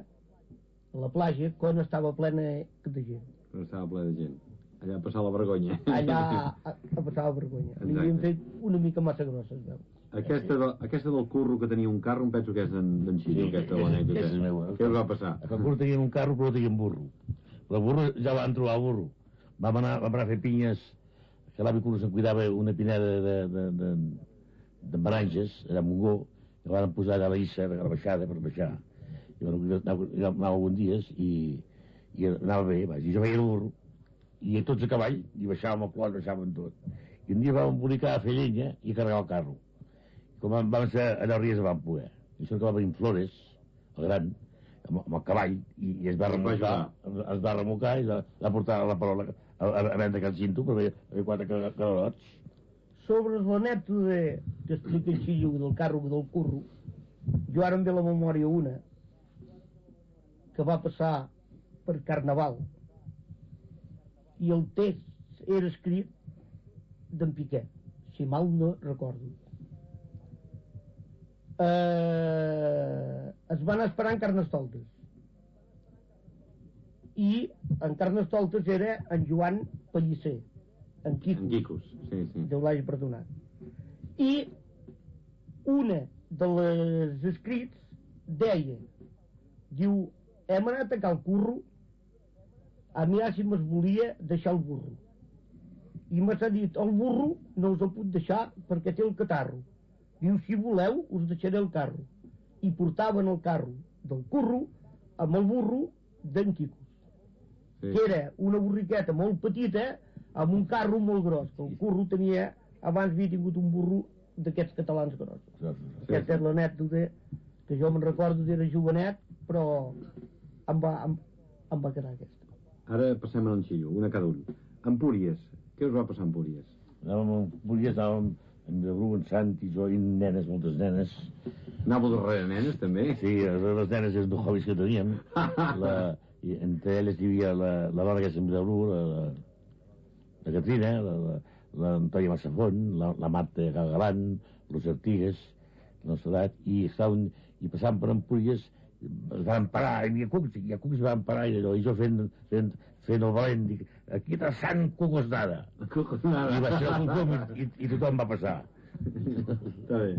a la platja quan estava plena de gent. Quan estava plena de gent. Allà a passar la vergonya. Allà a, a passar la vergonya. Li havien fet una mica massa grossa, es veu. Aquesta, de, aquesta del curro que tenia un carro, em penso que és d'en Xiriu, aquesta de l'anècdota. És meu. Què us va passar? A curro tenien un carro, però tenien burro. Però el burro ja van trobar el burro. Vam anar, vam anar a fer pinyes, que l'avi Curro se'n cuidava una pineda de, de, de, de meranges, allà a Montgó, que van posar allà a la Issa, a la baixada, per baixar. I bueno, anava, anava alguns dies i, i anava bé, vaja, i jo veia el burro, i tots a cavall, i baixàvem el clot, baixàvem tot. I un dia vam embolicar a fer llenya i a carregar el carro. I com vam, vam ser allò ries vam poder. I això que va venir Flores, el gran, amb, amb el cavall, i, i es va remolcar, es va remolcar i va, va portar la parola a, a, a vendre aquell cinto, per veure quatre calots. Sobre l'anècdota que explica el Xillo del carro del curro, jo ara em ve la memòria una que va passar per Carnaval i el text era escrit d'en Piquet, si mal no recordo. eh, es van esperar en Carnestoltes. I en Carnestoltes era en Joan Pellicer, en Quicos. En Quicos, sí, sí. Déu l'hagi perdonat. I una de les escrits deia, diu, hem anat a cal curro a mirar si me'ls volia deixar el burro. I m'ha dit, el burro no us el puc deixar perquè té el catarro. Diu, si voleu, us deixaré el carro. I portaven el carro del curro amb el burro d'en Quicos. Sí. Que era una borriqueta molt petita amb un carro molt gros, que el curro tenia, abans havia tingut un burro d'aquests catalans grossos. Sí, sí, sí. Aquesta és l'anècdota que jo me'n recordo d'era jovenet, però em va, em, em va quedar aquesta. Ara passem a l'enxillo, una cada un. Empúries, què us va passar a Empúries? Anàvem a Empúries, anàvem en Bru, en Santi, jo i nenes, moltes nenes. Anàveu darrere nenes, també? Sí, les nenes eren dos hobbies que teníem. La, i entre elles hi havia la, la dona que és en Bru, la, la, la Catrina, la, la, l'Antònia Massafont, la, la Marta Galgalant, los Artigues, la nostra edat, i, estaven, i passàvem per Empúries, es van parar, hi havia cucs, hi ha cucs i van parar, i, allò, i jo fent, fent, fent el valent, dic, aquí està Sant Cucosnada. I va ser el tothom, i, i tothom va passar. Està bé.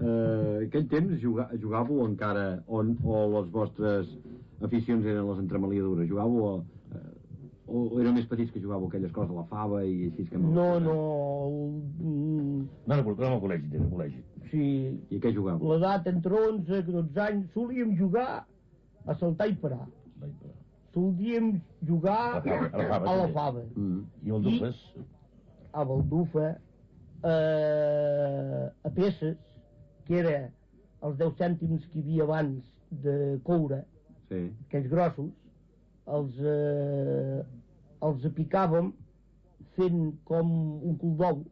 Uh, aquell temps juga, jugàveu encara, on, o les vostres aficions eren les entremaliadures? Jugàveu a... O eren més petits que jugàveu aquelles coses a la fava i així que... No, no... No, no, no, no al col·legi, no al col·legi. Sí. I què jugàveu? L'edat entre onze i dotze anys solíem jugar a saltar i parar. Solíem jugar a la fava. A la fava. A la fava. Mm. I baldufes? I a baldufa, eh, a peces, que era els deu cèntims que hi havia abans de coure, sí. Aquells grossos, els, eh, els picàvem fent com un cul d'ou,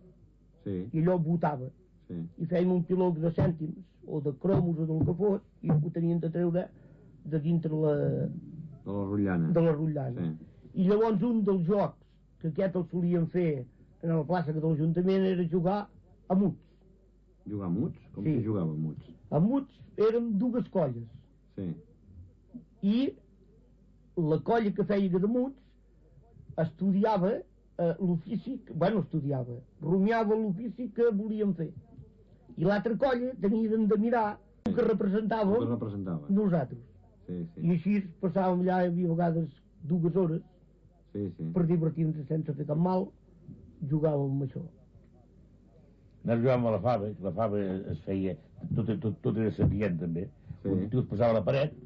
sí. I allò botava, sí. I fèiem un piloc de cèntims o de cromos o del que fos, i ho tenien de treure de dintre la... de la rotllana, de la rotllana. Sí. I llavors un dels jocs que aquest el solien fer en la plaça de l'Ajuntament era jugar a muts. Jugar a muts? Com sí. Si jugava a muts? A muts eren dues colles, sí. I la colla que feia de muts estudiava eh, l'ofici, bueno, estudiava, rumiava l'ofici que volíem fer. I l'altra colla tenien de mirar el que representàvem que representava. Nosaltres. Sí, sí. I així passàvem allà, hi havia vegades dues hores, sí, sí. Per divertir-nos sense fer cap mal, jugàvem amb això. Nosaltres jugàvem a la fava, la fava es feia, tot, tot, tot era sapient també. Sí. Tu es posava a la paret,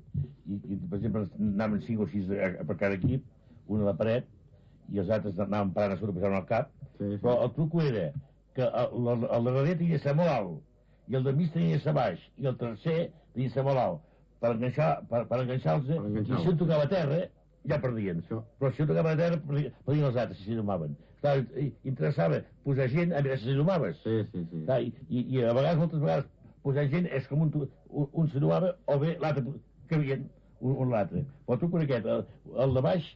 i, i per exemple anaven cinc o sis a, a per cada equip, un a la paret, i els altres anaven parant a sota, passant al cap, sí, sí. Però el truco era que el, el, el darrer tenia de ser molt alt, i el de mig tenia de ser baix, i el tercer tenia de ser molt alt, per enganxar, per, per enganxar-los, enganxar i si un tocava a terra, ja perdien. Això. Però si un tocava a terra, perdien els altres, si s'hi domaven. Clar, interessava posar gent a veure si s'hi domaves. Sí, sí, sí. Clar, i, i, I a vegades, moltes vegades, posar gent és com un, un, un s'hi domava, o bé l'altre cabien un, un l'altre. Però tu con aquest, el, el de baix,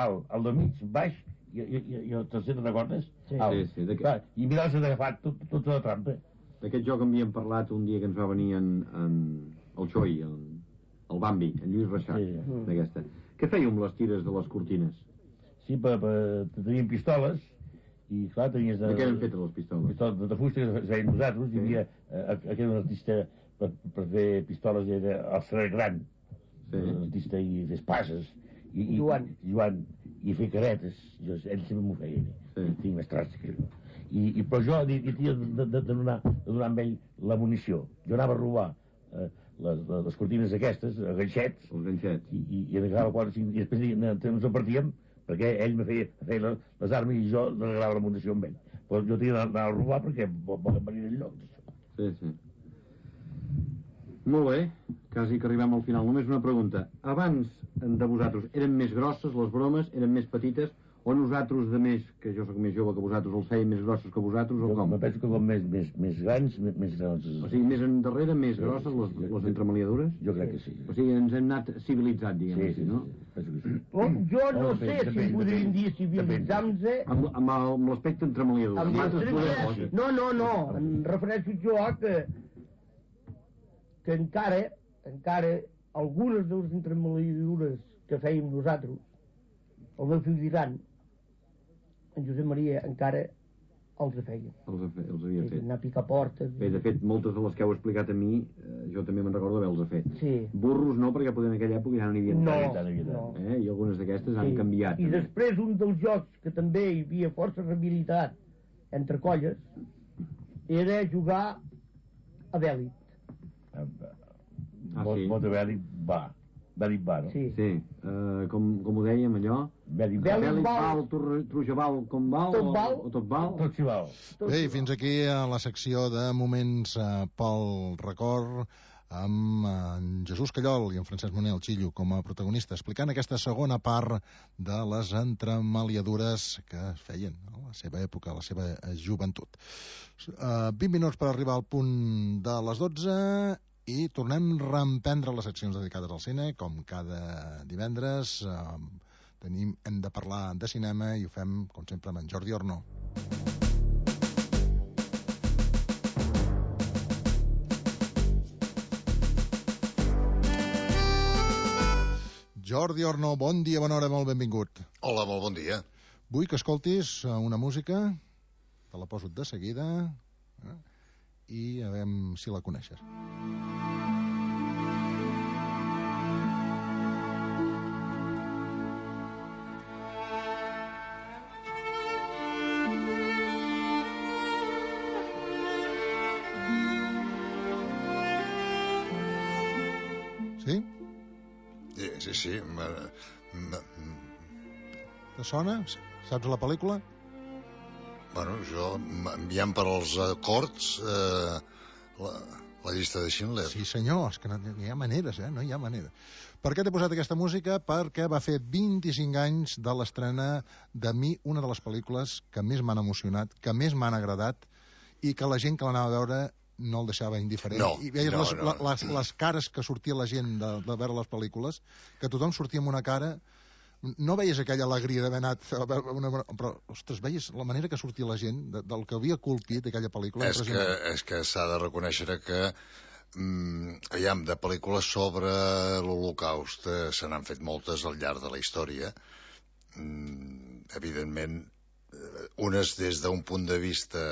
alt, el de mig, baix, i, i, i el tercer, te'n recordes? Sí, alt. Sí, sí. Clar, i mirar-se d'agafar tota tot la trampa. D'aquest joc havíem parlat un dia que ens va venir en, en el Xoi, el, el Bambi, en Lluís Reixac, sí. D'aquesta. Què fèieu amb les tires de les cortines? Sí, per, per, teníem pistoles, i clar, tenies... De, de què eren fetes les pistoles? Pistoles de, de fusta que feien nosaltres, sí. Hi havia eh, aquell un artista per, per fer pistoles, era el Serrer Gran, sí. L'artista i fer espases, i, i, Joan. I, Joan, i fer caretes, jo, ell sempre m'ho feia, sí. Tinc més traç que jo. I, i, però jo hi tenia de, de, de, donar, de donar amb ell la munició. Jo anava a robar eh, les, les cortines aquestes, a ganxets, els ganxets. I, i, i, agafava quatre, cinc, i després ens repartíem, perquè ell me feia, feia les, les armes i jo regalava la munició amb ell. Però jo tenia d'anar a robar perquè volen venir en lloc. Sí, sí. Molt bé, quasi que arribem al final. Només una pregunta. Abans de vosaltres, eren més grosses les bromes, eren més petites, o nosaltres de més, que jo sóc més jove que vosaltres, els feien més grossos que vosaltres, o jo com? Jo penso que com més, més, més grans, més, més grans. O sigui, més endarrere, més grosses les, les entremaliadures? Jo crec que sí. O sigui, ens hem anat civilitzat, diguem sí, així, sí, no? Sí, sí, sí. Oh, jo no oh, sé depèn, si podríem dir civilitzar-nos... Amb, amb, amb l'aspecte entremaliadures. Amb l'aspecte... No, no, no, em refereixo jo a que que encara, encara, algunes de les entremaliadures que fèiem nosaltres, el meu fill gran, en Josep Maria, encara els feia. Els, els havia fet. Anar a picar portes. Bé, de fet, moltes de les que heu explicat a mi, eh, jo també me'n recordo d'haver-les fet. Sí. Burros no, perquè potser en aquella època ja no n'hi havia no, tant. No, eh? I algunes d'aquestes sí. han canviat. I també. Després un dels jocs que també hi havia força rehabilitat entre colles era jugar a bèl·lic. Ah, sí? Mot de bèl·lic va. Bèl·lic va, no? Sí. Sí. Uh, com, com ho dèiem, allò? Bèl·lic val. Bèl·lic val, trujaval, com val? Tot val. O, o tot val? Tot s'hi val. Bé, fins aquí a la secció de moments eh, pel record amb en Jesús Callol i en Francesc Moner, el Xillo, com a protagonista, explicant aquesta segona part de les entremaliadures que es feien a la seva època, a la seva joventut. Uh, vint minuts per arribar al punt de les dotze i tornem a reemprendre les seccions dedicades al cine, com cada divendres. Uh, tenim, hem de parlar de cinema i ho fem, com sempre, amb en Jordi Orno. Jordi Orno, bon dia, bona hora, molt benvingut. Hola, molt bon dia. Vull que escoltis una música, te la poso de seguida, eh? I a veure si la coneixes. Sí? Sí, sí, sí. Ma, ma, Te sona? Saps la pel·lícula? Bueno, jo, enviant per als acords eh, la, la llista de Schindler. Sí, senyor, és que no, no hi ha maneres, eh? No hi ha manera. Per què t'he posat aquesta música? Perquè va fer vint-i-cinc anys de l'estrena de mi, una de les pel·lícules que més m'han emocionat, que més m'han agradat, i que la gent que l'anava a veure no el deixava indiferent. No, I veies no, les, no. les, les cares que sortia la gent de, de veure les pel·lícules, que tothom sortia amb una cara... No veies aquella alegria d'haver anat a veure una... Però, ostres, veies la manera que sortia la gent de, del que havia colpit aquella pel·lícula. És que, és que s'ha de reconèixer que mm, aviam, de pel·lícules sobre l'Holocaust eh, se n'han fet moltes al llarg de la història. Mm, evidentment, eh, unes des d'un punt de vista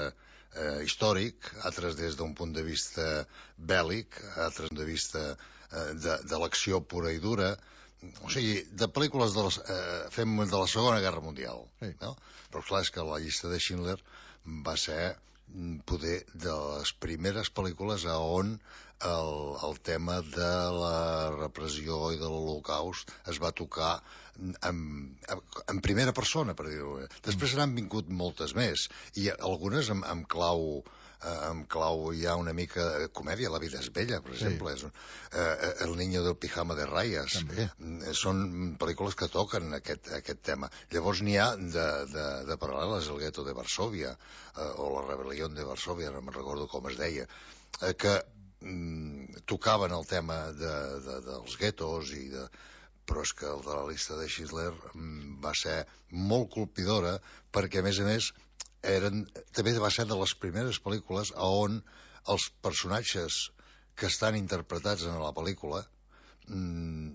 eh, històric, altres des d'un punt de vista bèl·lic, altres des d'un punt de vista eh, de, de l'acció pura i dura. O sigui, de pel·lícules de, les, eh, fem de la Segona Guerra Mundial, sí. No? Però clar, és que la llista de Schindler va ser poder de les primeres pel·lícules a on el, el tema de la repressió i de l'Holocaust es va tocar en, en primera persona, per dir-ho. Després n'han vingut moltes més, i algunes amb, amb clau... amb clau hi ha una mica de comèdia, La vida és bella, per exemple, sí. és, eh, El niño del pijama de rayas. També. Són pel·lícules que toquen aquest, aquest tema. Llavors n'hi ha de, de, de paral·leles, El gueto de Varsòvia, eh, o La rebel·lió de Varsòvia, no me'n recordo com es deia, eh, que mm, tocaven el tema de, de, dels guetos, i de... però és que el de la llista de Schindler mm, va ser molt colpidora, perquè, a més a més, eren, també va ser de les primeres pel·lícules on els personatges que estan interpretats en la pel·lícula mmm,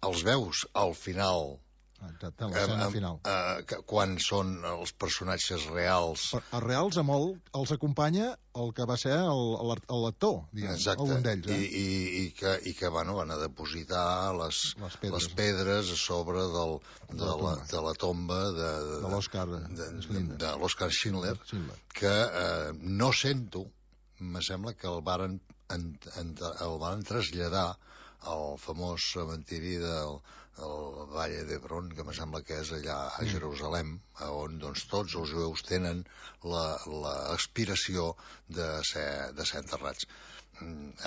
els veus al final, exacte, l'escena eh, final. Eh, quan són els personatges reals. Per, els reals a molt els acompanya el que va ser l'actor, algun d'ells. Eh? I, i, i, que, i que bueno, van a depositar les, les, pedres. les pedres a sobre del, de, de, la, de la tomba de, de, de l'Oscar de, de, de l'Oscar Schindler, Schindler, que eh, no sento, me sembla que el varen, en, en, el varen traslladar al famós cementiri del el Valle d'Hebron, que me sembla que és allà a Jerusalem, on doncs, tots els jueus tenen l'aspiració de ser, de ser enterrats.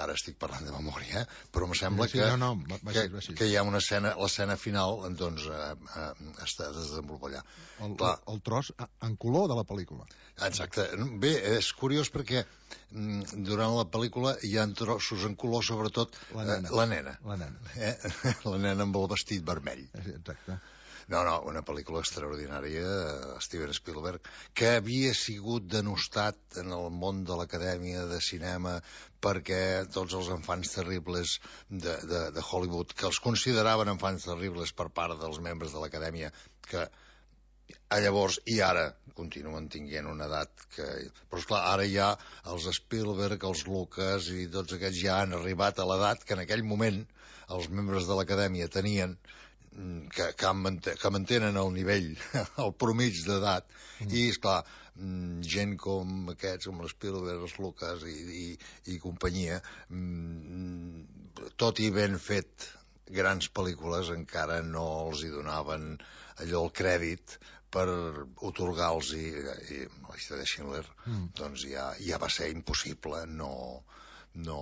Ara estic parlant de memòria, eh? Però em sembla sí, sí, que, no, no, va ser, va ser. que hi ha una escena, l'escena final, doncs, eh, eh, està desenvolupada allà. El, el, el tros en color de la pel·lícula. Exacte. Bé, és curiós perquè durant la pel·lícula hi ha trossos en color, sobretot la nena. Eh, la nena. La nena. Eh? La nena amb el vestit vermell. Exacte. No, no, una pel·lícula extraordinària, Steven Spielberg, que havia sigut denostat en el món de l'Acadèmia de Cinema perquè tots els enfants terribles de, de, de Hollywood, que els consideraven enfants terribles per part dels membres de l'Acadèmia, que a llavors i ara continuen tinguent una edat que... Però, esclar, ara ja els Spielberg, els Lucas i tots aquests ja han arribat a l'edat que en aquell moment els membres de l'Acadèmia tenien, que, que, manten, que mantenen el nivell, el promig d'edat, mm. i, esclar, gent com aquests, com l'Spielberg, els Lucas i, i, i companyia, tot i ben fet grans pel·lícules, encara no els hi donaven allò el crèdit per otorgar-los, i, i la llista de Schindler, mm. doncs ja, ja va ser impossible no... no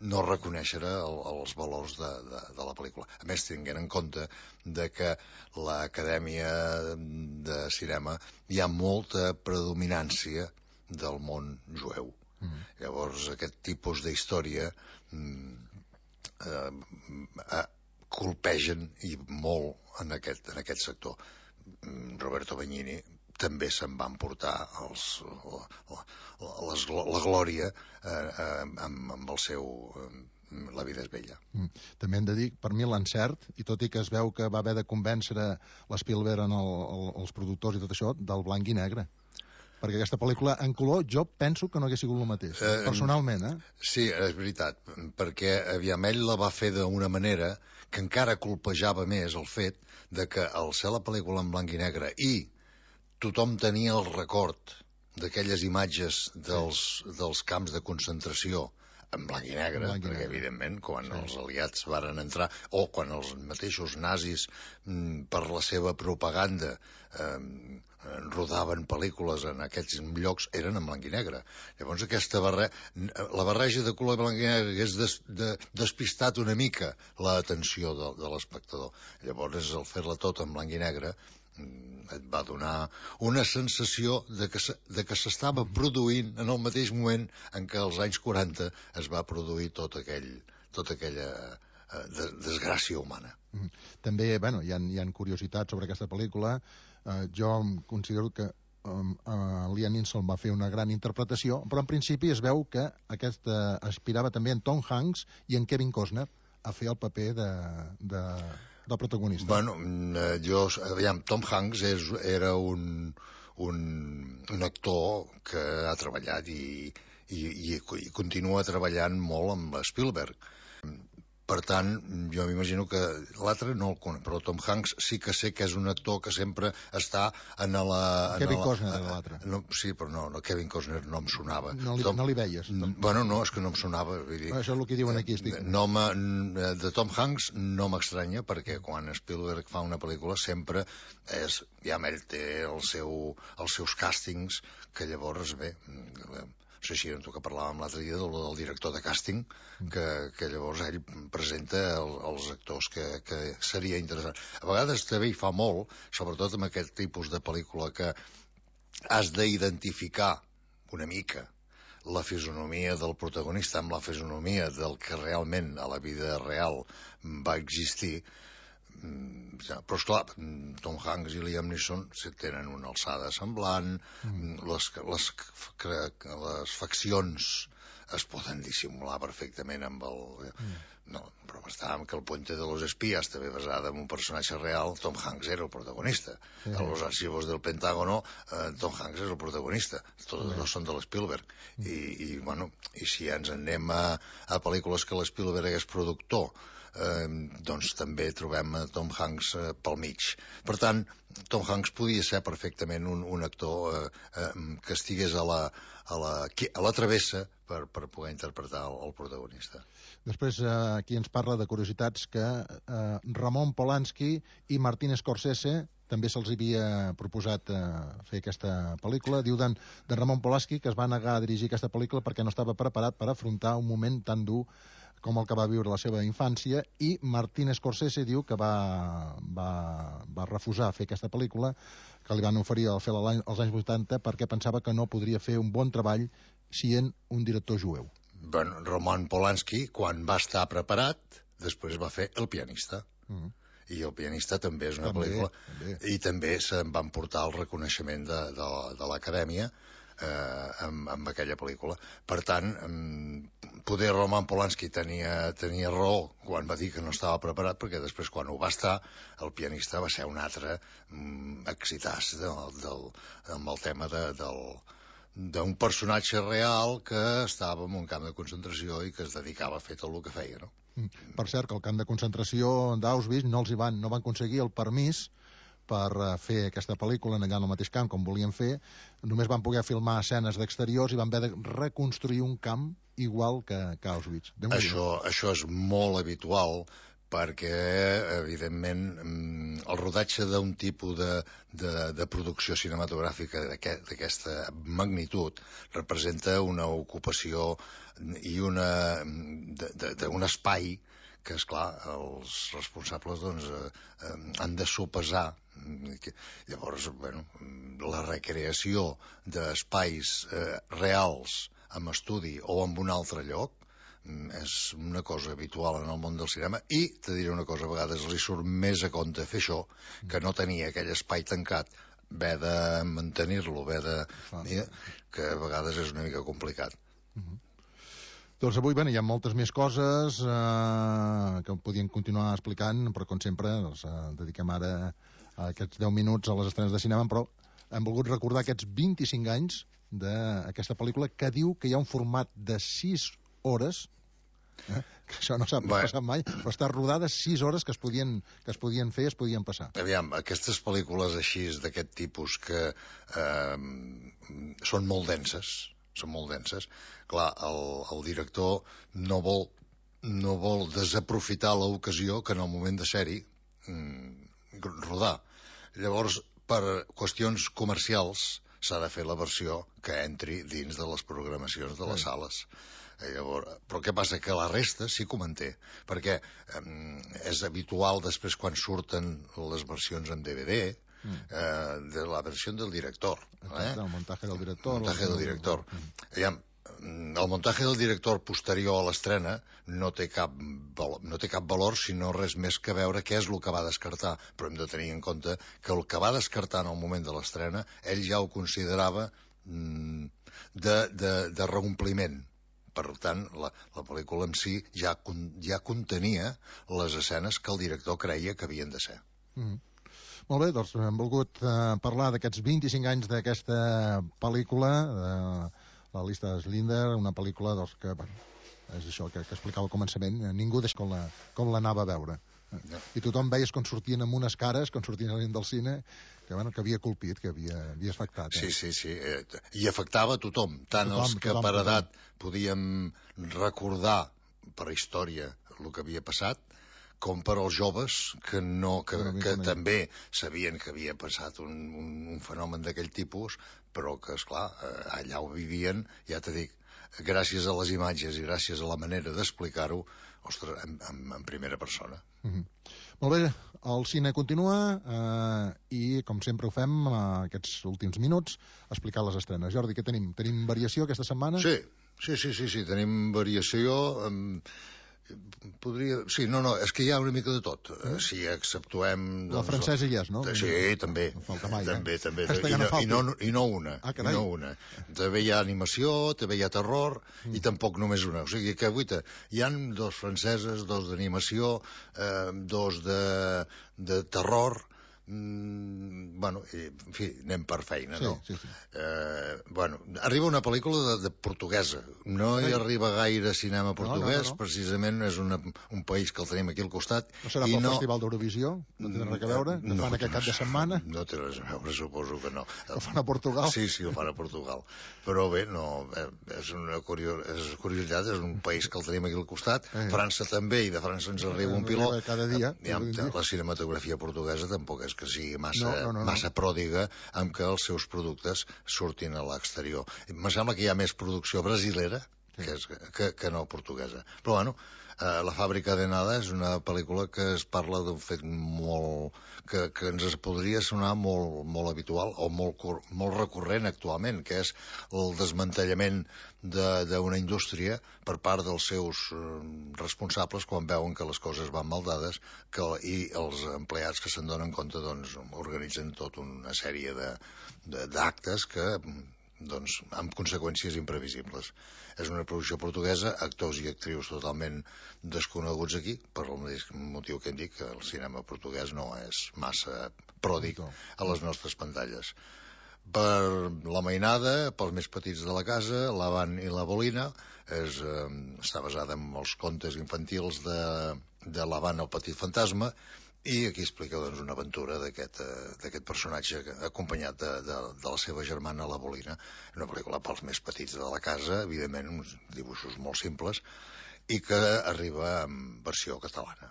no reconèixer el, els valors de, de, de la pel·lícula. A més, tinguent en compte de que l'Acadèmia de Cinema hi ha molta predominància del món jueu. Mm. Llavors, aquest tipus d'història mm, eh, eh, colpegen i molt en aquest, en aquest sector. Roberto Benigni també se'n van portar els, la, la, les, la glòria eh, eh, amb, amb el seu eh, La vida és bella. Mm. També hem de dir, per mi l'encert, i tot i que es veu que va haver de convèncer l'Spielberg en el, el, els productors i tot això, del blanc i negre. Perquè aquesta pel·lícula en color jo penso que no hagués sigut el mateix, eh, personalment, eh? Sí, és veritat, perquè aviam, ell la va fer d'una manera que encara colpejava més el fet de que al ser la pel·lícula en blanc i negre i tothom tenia el record d'aquelles imatges dels, sí. dels camps de concentració en blanc i negre, blanc i perquè negre. Evidentment quan sí. els aliats varen entrar, o quan els mateixos nazis mm, per la seva propaganda eh, rodaven pel·lícules en aquests llocs, eren en blanc i negre. Llavors aquesta barre... la barreja de color blanc i negre hagués des, de, despistat una mica l'atenció de, de l'espectador. Llavors el fer-la tot en blanc i negre et va donar una sensació de que, se, de que s'estava produint en el mateix moment en què als anys quaranta es va produir tot aquell, tota aquella eh, de, desgràcia humana. Mm. També, bueno, hi ha, hi ha curiositats sobre aquesta pel·lícula. Eh, jo considero que um, uh, Liam Neeson va fer una gran interpretació, però en principi es veu que aquesta aspirava també en Tom Hanks i en Kevin Costner a fer el paper de... de del protagonista. Bueno, jo, aviam, Tom Hanks és, era un, un, un actor que ha treballat i, i, i, i continua treballant molt amb Spielberg. Per tant, jo m'imagino que l'altre no el conec, però Tom Hanks sí que sé que és un actor que sempre està en la... En Kevin la, Costner era l'altre. No, sí, però no, no, Kevin Costner no em sonava. No li, Tom, no li veies? Tom. Bueno, no, és que no em sonava. Vull dir, això és el que diuen aquí. Estic... No de Tom Hanks no m'estranya, perquè quan Spielberg fa una pel·lícula sempre és... Ja ell té el seu, els seus càstings, que llavors, bé... No sé si tu que parlàvem l'altre dia del, del director de càsting, que, que llavors ell presenta el, els actors que, que seria interessant. A vegades també hi fa molt, sobretot amb aquest tipus de pel·lícula, que has d'identificar una mica la fisonomia del protagonista amb la fisonomia del que realment a la vida real va existir. Però esclar, Tom Hanks i Liam Neeson tenen una alçada semblant, mm. les, les, les faccions es poden dissimular perfectament amb el... Mm. No, però estàvem que el Puente de los Espías, també basada en un personatge real, Tom Hanks era el protagonista. Sí. A los archivos del Pentágono, eh, Tom Hanks és el protagonista. Tots dos són de l'Spielberg. Mm. I, i, bueno, i si ens anem a, a pel·lícules que l'Spielberg és productor, Eh, doncs també trobem a Tom Hanks eh, pel mig. Per tant, Tom Hanks podia ser perfectament un, un actor eh, eh, que estigués a la, a la, a la travessa per, per poder interpretar el, el protagonista. Després eh, aquí ens parla de curiositats que eh, Ramon Polanski i Martin Scorsese també se'ls havia proposat eh, fer aquesta pel·lícula. Diu de, de Ramon Polanski que es va negar a dirigir aquesta pel·lícula perquè no estava preparat per afrontar un moment tan dur com el que va viure la seva infància, i Martin Scorsese diu que va, va, va refusar fer aquesta pel·lícula, que li van oferir al fer als anys vuitanta perquè pensava que no podria fer un bon treball sent un director jueu? Bueno, Roman Polanski, quan va estar preparat, després va fer El pianista. Mm. I El pianista també és una també, pel·lícula... També. I també se'n van portar el reconeixement de, de, de l'Acadèmia eh, amb, amb aquella pel·lícula. Per tant, poder Roman Polanski tenia, tenia raó quan va dir que no estava preparat, perquè després, quan ho va estar, El pianista va ser un altre mm, excitàs del, del, amb el tema de, del... d'un personatge real que estava en un camp de concentració i que es dedicava a fer tot el que feia, no? Per cert, que el camp de concentració d'Auschwitz no els hi van, no van aconseguir el permís per fer aquesta pel·lícula allà en el mateix camp com volien fer, només van poder filmar escenes d'exteriors i van haver de reconstruir un camp igual que, que Auschwitz. Això, això és molt habitual, perquè, evidentment, el rodatge d'un tipus de, de, de producció cinematogràfica d'aquesta magnitud representa una ocupació i una, d'un espai que, esclar, els responsables doncs, eh, han de sopesar. Llavors, bueno, la recreació d'espais eh, reals amb estudi o en un altre lloc és una cosa habitual en el món del cinema i, te diré una cosa, a vegades li surt més a compte fer això que no tenir aquell espai tancat, haver de mantenir-lo, haver de... que a vegades és una mica complicat. Uh-huh. Doncs avui, bé, hi ha moltes més coses eh, que podíem continuar explicant, però com sempre doncs, eh, dediquem ara a aquests deu minuts a les estrenes de cinema, però hem volgut recordar aquests vint-i-cinc anys d'aquesta pel·lícula que diu que hi ha un format de sis hores, eh? que això no s'ha passat mai, però està rodada sis hores que es podien, que es podien fer, es podien passar. Aviam, aquestes pel·lícules així d'aquest tipus que eh, són molt denses, són molt denses, clar, el, el director no vol, no vol desaprofitar l'ocasió que en el moment de ser-hi mm, rodar. Llavors, per qüestions comercials, s'ha de fer la versió que entri dins de les programacions de les sales. Llavors, però què passa? Que la resta sí que ho manté, perquè eh, és habitual després quan surten les versions en D V D mm. eh, de la versió del director. Exacte, eh? El muntatge del director. El muntatge del director. Mm. Aviam, el muntatge del director posterior a l'estrena no té cap valor, no té cap valor sinó res més que veure què és el que va descartar, però hem de tenir en compte que el que va descartar en el moment de l'estrena ell ja ho considerava mm, de, de, de reompliment. Per tant, la, la pel·lícula en si ja, ja contenia les escenes que el director creia que havien de ser. Mm. Molt bé, doncs hem volgut eh, parlar d'aquests vint-i-cinc anys d'aquesta pel·lícula, de la llista de Schindler, una pel·lícula doncs, que, bueno, és això que, que explicava al començament, ningú des com la, com l'anava a veure. No. I tothom veies com sortien amb unes cares, quan sortien del cine, que, bueno, que havia colpit, que havia, havia afectat. Eh? Sí, sí, sí. Eh, I afectava a tothom, tant tothom, els que tothom, per edat tothom. Podíem recordar per història el que havia passat, com per als joves que, no, que, que, que també sabien que havia passat un, un, un fenomen d'aquell tipus, però que, esclar, allà ho vivien, ja t'he dit, gràcies a les imatges i gràcies a la manera d'explicar-ho, ostres, en, en, en primera persona. Mm-hmm. Molt bé, el cine continua eh, i, com sempre ho fem, eh, aquests últims minuts, explicar les estrenes. Jordi, què tenim? Tenim variació aquesta setmana? Sí, sí, sí, sí, sí. Tenim variació... Eh, podria... Sí, no, no, és que hi ha una mica de tot. Mm. Si exceptuem... Doncs, la francesa hi és, no? Sí, també. No falta mai, també, eh? també. I no, i, no, I no una. Ah, i no una. També hi ha animació, també hi ha terror, mm. i tampoc només una. O sigui que, guaita, hi han dos franceses, dos d'animació, eh, dos de, de terror... Mm, bueno, i, en fi, anem per feina, sí, no? Sí, sí. Eh, bueno, arriba una pel·lícula de, de portuguesa. No hi arriba gaire cinema portuguès, no, no, no. Precisament és una, un país que el tenim aquí al costat. No serà pel no... Festival d'Eurovisió? No té res a veure? Que no, fan aquest cap de setmana? No té res a veure, suposo que no. El fan a Portugal? Sí, sí, el fan a Portugal. Però bé, no, és una curios... és curiositat, és un país que el tenim aquí al costat. Eh. França també, i de França ens arriba un pilot. Cada dia. Ja, la cinematografia portuguesa tampoc és que sigui massa, no, no, no, massa pròdiga amb que els seus productes surtin a l'exterior. Em sembla que hi ha més producció brasilera sí. que, és, que, que no portuguesa. Però, bueno, eh, La fàbrica de nada és una pel·lícula que es parla d'un fet molt... que, que ens podria sonar molt, molt habitual o molt, molt recurrent actualment, que és el desmantellament d'una indústria per part dels seus eh, responsables quan veuen que les coses van mal dades que, i els empleats que se'n donen compte doncs, organitzen tota una sèrie d'actes que doncs, amb conseqüències imprevisibles. És una producció portuguesa, actors i actrius totalment desconeguts aquí, per el mateix motiu que hem dit que el cinema portuguès no és massa pròdig a les nostres pantalles. Per la mainada, pels més petits de la casa, l'Avant i la Bolina, és, eh, està basada en els contes infantils de, de l'Avant el petit fantasma, i aquí explica doncs, una aventura d'aquest eh, personatge acompanyat de, de, de la seva germana, la Bolina. Una pel·lícula pels més petits de la casa, evidentment, uns dibuixos molt simples, i que arriba en versió catalana.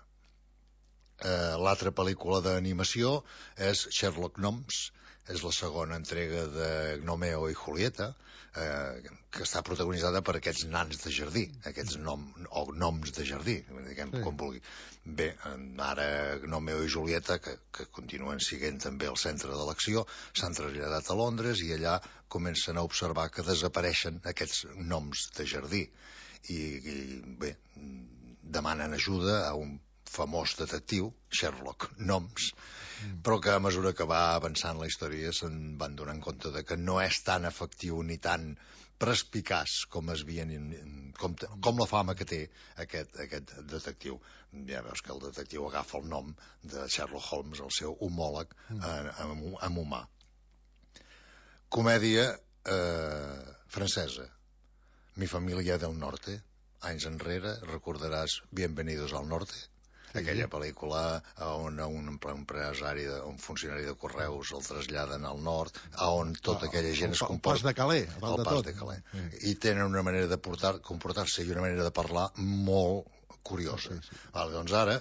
Eh, L'altra pel·lícula d'animació és Sherlock Gnomes, és la segona entrega de Gnomeo i Julieta, eh, que està protagonitzada per aquests nans de jardí, aquests nom, o gnoms de jardí, diguem, sí. com vulgui. Bé, ara Gnomeo i Julieta, que, que continuen siguent també el centre de l'acció, s'han traslladat a Londres i allà comencen a observar que desapareixen aquests gnoms de jardí. I, i bé, demanen ajuda a un famós detectiu, Sherlock Gnomes, mm. però que a mesura que va avançant la història se'n van donant compte de que no és tan efectiu ni tan perspicaç com es havien, com, com la fama que té aquest, aquest detectiu. Ja veus que el detectiu agafa el nom de Sherlock Holmes, el seu homòleg mm. en, en humà. Comèdia eh, francesa, Mi familia del norte. Anys enrere recordaràs Bienvenidos al norte, aquella pel·lícula on un empresari, un funcionari de correus el traslladen al nord, on tota aquella gent es comporta... El pas de Calais, a dalt de tot. De Calais. I tenen una manera de comportar-se i una manera de parlar molt curiosa. Sí, sí. Vale, doncs ara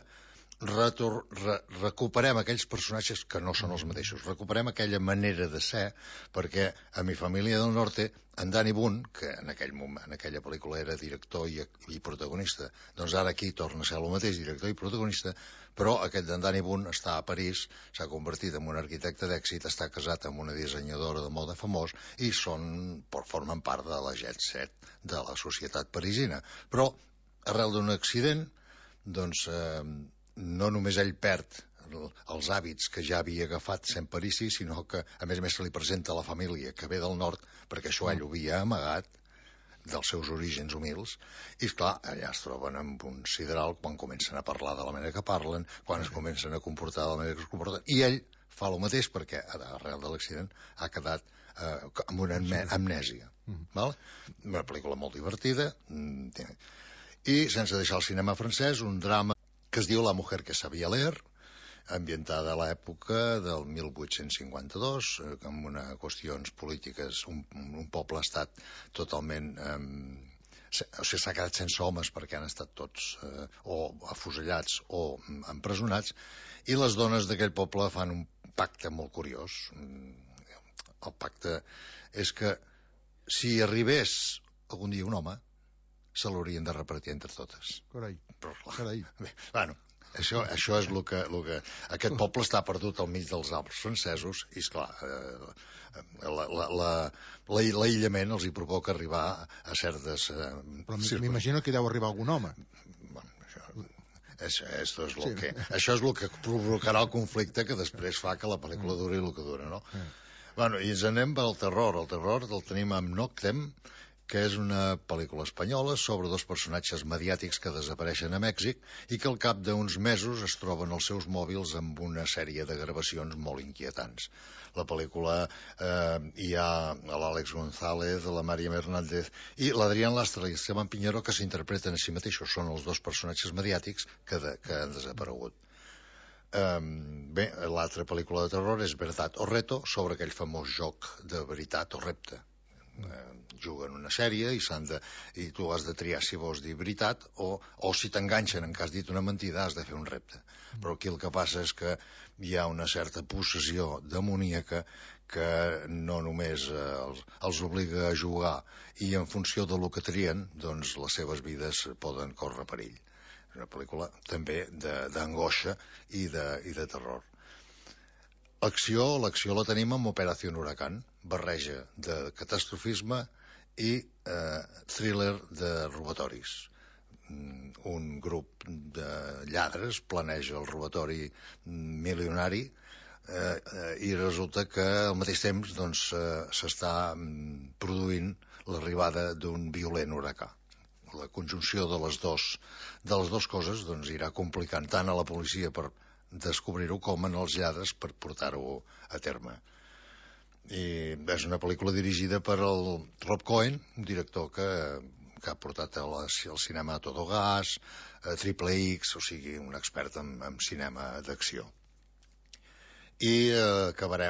retor, re, recuperem aquells personatges que no són els mateixos, recuperem aquella manera de ser, perquè a Mi família del norte, en Danny Boone, que en, aquell moment, en aquella pel·lícula era director i, i protagonista, doncs ara aquí torna a ser el mateix, director i protagonista, però aquest d'en Danny Boone està a París, s'ha convertit en un arquitecte d'èxit, està casat amb una dissenyadora de moda famós i són, formen part de la jet set de la societat parisina. Però, arrel d'un accident, doncs... Eh, no només ell perd els hàbits que ja havia agafat sent parisi, sinó que a més a més se li presenta a la família que ve del nord, perquè això ell ho havia amagat dels seus orígens humils, i esclar, allà es troben amb un sideral quan comencen a parlar de la manera que parlen, quan es comencen a comportar de la manera que es comporten, i ell fa el mateix perquè arrel de l'accident ha quedat eh, amb una amnèsia. Val? Una pel·lícula molt divertida, i sense deixar el cinema francès, un drama que es diu La mujer que sabia leer, ambientada a l'època del mil vuit-cents cinquanta-dos, eh, amb una qüestions polítiques, un, un poble-estat totalment... Eh, o sigui, s'ha quedat sense homes perquè han estat tots eh, o afusellats o empresonats, i les dones d'aquell poble fan un pacte molt curiós. El pacte és que si arribés algun dia un home, se l'haurien de repartir entre totes. Carai, però, carai. Bé, bueno, això, això és el que, el que... Aquest poble està perdut al mig dels Alps francesos i, esclar, eh, l'aïllament els hi provoca arribar a certes... Eh, però m'imagino que deu arribar algun home. Bueno, això... Això, això, és lo sí. que, això és el que provocarà el conflicte que després fa que la pel·lícula duri el que dura, no? Mm. Bueno, i ens anem pel terror. El terror el tenim amb Noctem, que és una pel·lícula espanyola sobre dos personatges mediàtics que desapareixen a Mèxic i que al cap d'uns mesos es troben els seus mòbils amb una sèrie de gravacions molt inquietants. La pel·lícula eh, hi ha l'Àlex González, la Màriam Hernández i l'Adrián Lastra i Esteban Piñero, que s'interpreten a si mateixos. Són els dos personatges mediàtics que, de, que han desaparegut. Um, bé, l'altra pel·lícula de terror és Verdad o Reto, sobre aquell famós joc de veritat o repte. eh, juguen una sèrie i, s'han de, i tu has de triar si vols dir veritat o, o si t'enganxen en que has dit una mentida has de fer un repte. Però aquí el que passa és que hi ha una certa possessió demoníaca que no només eh, els, els obliga a jugar i en funció de lo que trien, doncs les seves vides poden córrer perill. És una pel·lícula també d'angoixa i, de, i de terror. L'acció, l'acció la tenim amb Operació Huracán, barreja de catastrofisme i eh, thriller de robatoris. Un grup de lladres planeja el robatori milionari eh, eh, i resulta que al mateix temps doncs, eh, s'està produint l'arribada d'un violent huracà. La conjunció de les dos, de les dues coses doncs, irà complicant tant a la policia per descobrir-ho com en els lladres per portar-ho a terme. I és una pel·lícula dirigida per el Rob Cohen, un director que, que ha portat al, al cinema a Todo Gas, a Triple X, o sigui, un expert en, en cinema d'acció. I eh, acabarem